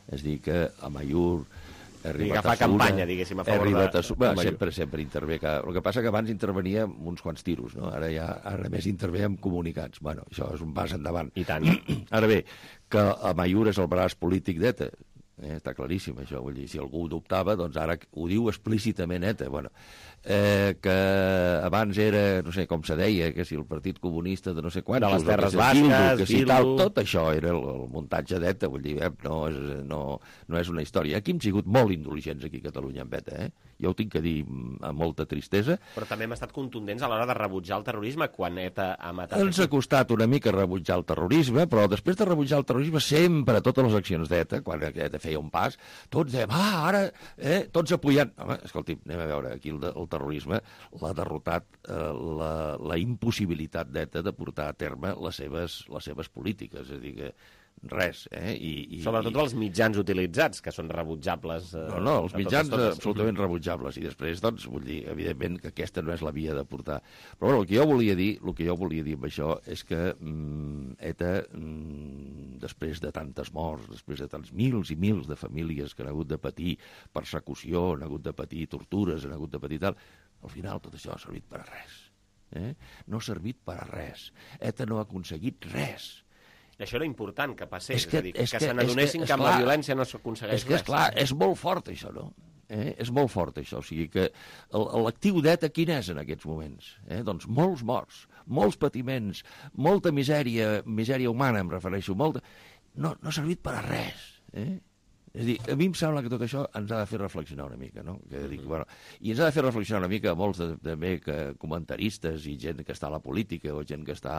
És dir, que a Mayur ha arribat a fa campanya, diguéssim, a favor de, a su... de Mayur. Sempre, sempre intervé. Que... El que passa que abans intervenia amb uns quants tiros, no? Ara ja ara més intervé amb comunicats. Bueno, això és un pas endavant. I tant. Ara bé, que a Mayur és el braç polític d'ETA. Eh, està claríssim això, vull dir, si algú ho dubtava, doncs ara ho diu explícitament ETA. Bueno, eh, que abans era, no sé com se deia, que si el Partit Comunista de no sé quants, de les Terres si Basques, Bildu, que si Bildu... tal, tot això era el, el muntatge d'ETA, vull dir, eh, no, és, no, no és una història. Aquí hem sigut molt indulgents aquí a Catalunya amb ETA, eh? Jo ho tinc que dir amb molta tristesa. Però també hem estat contundents a l'hora de rebutjar el terrorisme quan ETA ha matat... Ens ha costat una mica rebutjar el terrorisme, però després de rebutjar el terrorisme sempre, totes les accions d'ETA, quan ETA feia un pas, tots dèiem, ah, ara, eh, tots apoyant... Home, escolti, anem a veure, aquí el, el terrorisme l'ha derrotat eh, la, la impossibilitat d'ETA de portar a terme les seves, les seves polítiques, és a dir, que res, eh? I, i, Sobretot els mitjans utilitzats, que són rebutjables. Eh, no, no, els mitjans totes, totes. absolutament rebutjables, i després, doncs, vull dir, evidentment que aquesta no és la via de portar. Però bueno, el que jo volia dir, el que jo volia dir amb això és que mm, ETA, mm, després de tantes morts, després de tants mils i mils de famílies que han hagut de patir persecució, han hagut de patir tortures, han hagut de patir tal, al final tot això ha servit per a res. Eh? No ha servit per a res. ETA no ha aconseguit res. I això era important que passés, és, que, és a dir, és que, que se n'adonessin que, que amb la violència no s'aconsegueix res. És que, esclar, és molt fort això, no? Eh? És molt fort això, o sigui que l'actiu d'ETA quin és en aquests moments? Eh? Doncs molts morts, molts patiments, molta misèria, misèria humana em refereixo, molta... No, no ha servit per a res, eh? És a dir, a mi em sembla que tot això ens ha de fer reflexionar una mica, no? Que dic, bueno, i ens ha de fer reflexionar una mica molts de, també que comentaristes i gent que està a la política o gent que està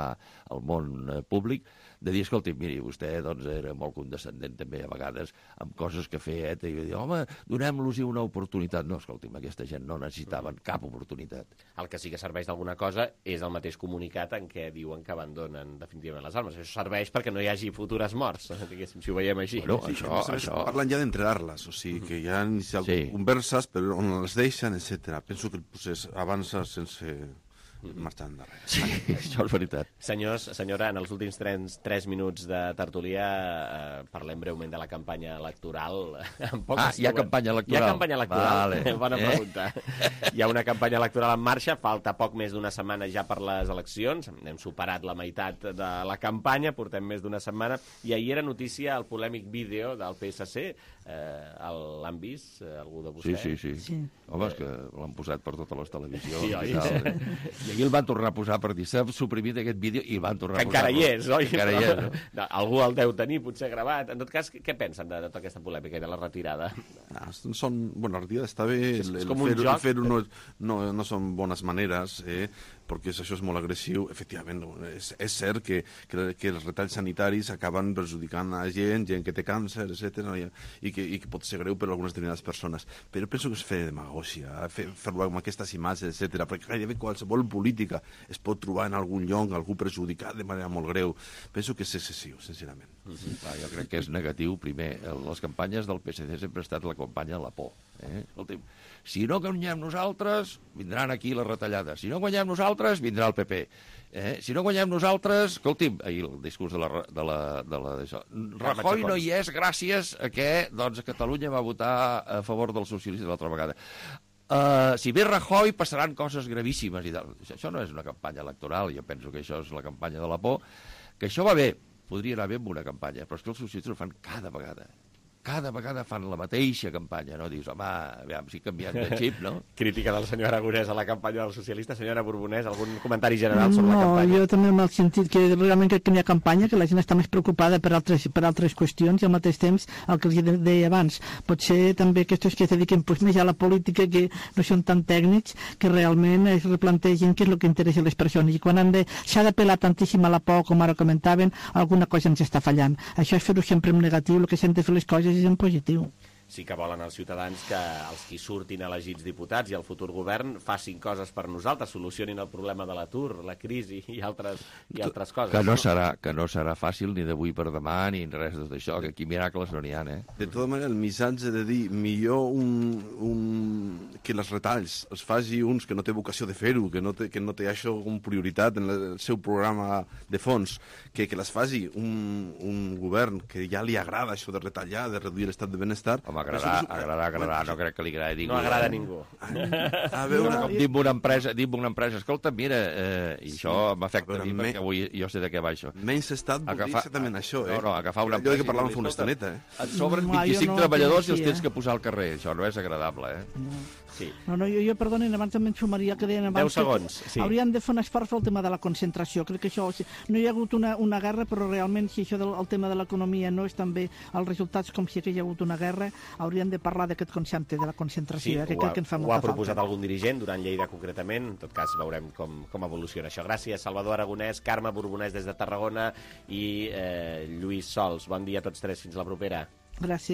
al món eh, públic, de dir, escolti, miri, vostè doncs, era molt condescendent també a vegades amb coses que feia ETA i dir, home, donem-los una oportunitat. No, escolti'm, aquesta gent no necessitaven cap oportunitat. El que sí que serveix d'alguna cosa és el mateix comunicat en què diuen que abandonen definitivament les armes. Això serveix perquè no hi hagi futures morts, diguéssim, si ho veiem així. Bueno, sí, això, sí, això... Parlen ja d'entregar-les, o sigui, que hi ha inicial sí. converses, però on les deixen, etcètera. Penso que el procés avança sense marxar endarrere. Sí, això és veritat. Senyors, senyora, en els últims tres, tres minuts de tertúlia eh, parlem breument de la campanya electoral. En ah, hi ha campanya electoral. Hi ha campanya electoral. Vale. Bona eh? pregunta. Hi ha una campanya electoral en marxa, falta poc més d'una setmana ja per les eleccions, hem superat la meitat de la campanya, portem més d'una setmana, i ahir era notícia el polèmic vídeo del P S C, eh, l'han vist, eh, algú de vostè? Sí, sí, sí. sí. Home, és que l'han posat per totes les televisions. Sí, i tal. I aquí el van tornar a posar per dir, s'ha suprimit aquest vídeo i el van tornar que a posar. Encara hi és, oi? Encara hi és, no? No, algú el deu tenir, potser gravat. En tot cas, què pensen de, de tota aquesta polèmica i de la retirada? Ah, són, bueno, la retirada està bé, és, el, és el fer-ho fer no, no, no són bones maneres, eh? perquè això és molt agressiu. Efectivament, és, és cert que, que, que els retalls sanitaris acaben perjudicant a gent, gent que té càncer, etcètera, i, que, i que pot ser greu per a algunes determinades persones. Però penso que és fer demagògia, fer-ho amb aquestes imatges, etcètera, perquè gairebé qualsevol política es pot trobar en algun lloc, algú perjudicat de manera molt greu. Penso que és excessiu, sincerament. Mm-hmm. Va, jo crec que és negatiu. Primer, les campanyes del P S C sempre ha estat la campanya de la por. Eh? Escolti'm, si no guanyem nosaltres, vindran aquí les retallades. Si no guanyem nosaltres, vindrà el P P. Eh? Si no guanyem nosaltres... Escolti'm, ahir el discurs de la... De la, de la d'això. Rajoy no hi és gràcies a que doncs, Catalunya va votar a favor dels socialistes l'altra vegada. Uh, si ve Rajoy passaran coses gravíssimes i tal. Això no és una campanya electoral, jo penso que això és la campanya de la por, que això va bé, podria anar bé amb una campanya, però és que els socialistes ho fan cada vegada. cada vegada fan la mateixa campanya, no? Dius, home, aviam, si canviem de xip, no? Crítica del senyor Aragonès a la campanya dels socialistes. Senyora Borbonès, algun comentari general sobre no, la campanya? No, jo també en el sentit que realment crec que n'hi ha campanya, que la gent està més preocupada per altres, per altres qüestions i al mateix temps, el que els deia abans, potser també aquests que es dediquen pues, més a la política, que no són tan tècnics, que realment es replantegen què és el que interessa a les persones. I quan de, s'ha de pelar tantíssim a la por, com ara comentaven, alguna cosa ens està fallant. Això és fer-ho sempre en negatiu, el que s'han de fer les coses és en positiu. Sí que volen els ciutadans que els qui surtin elegits diputats i el futur govern facin coses per nosaltres, solucionin el problema de l'atur, la crisi i altres, i altres coses. Que no, serà, que no serà fàcil ni d'avui per demà ni res de tot això, que aquí miracles no n'hi ha, eh? De tota manera, el missatge de dir millor un, un... que les retalls els faci uns que no té vocació de fer-ho, que, no té, que no té això com prioritat en el seu programa de fons, que, que les faci un, un govern que ja li agrada això de retallar, de reduir l'estat de benestar. Home, agradar, agradar, agradar, no crec que li agradi ningú. No agrada a ningú. A veure, com dic una empresa, dic una empresa, escolta, mira, eh, i això m'afecta a mi perquè avui jo sé de què va això. Menys estat vol dir exactament això, eh? No, no, agafar una empresa... Allò que parlàvem fa una estoneta, eh? Et sobren vint-i-cinc treballadors i els tens que posar al carrer. Això no és agradable, eh? Sí. No, no, jo, jo perdonen, abans també em sumaria que deien abans deu segons, que sí. Haurien de fer un esforç pel tema de la concentració. Crec que això, no hi ha hagut una, una guerra, però realment si això del el tema de l'economia no és també els resultats com si hi ha hagut una guerra, haurien de parlar d'aquest concepte de la concentració, sí, eh, que ha, crec que en fa molta molta falta. Ho ha proposat falta. algun dirigent durant Lleida concretament, en tot cas veurem com, com evoluciona això. Gràcies, Salvador Aragonès, Carme Borbonès des de Tarragona i eh, Lluís Sols. Bon dia a tots tres, fins la propera. Gràcies.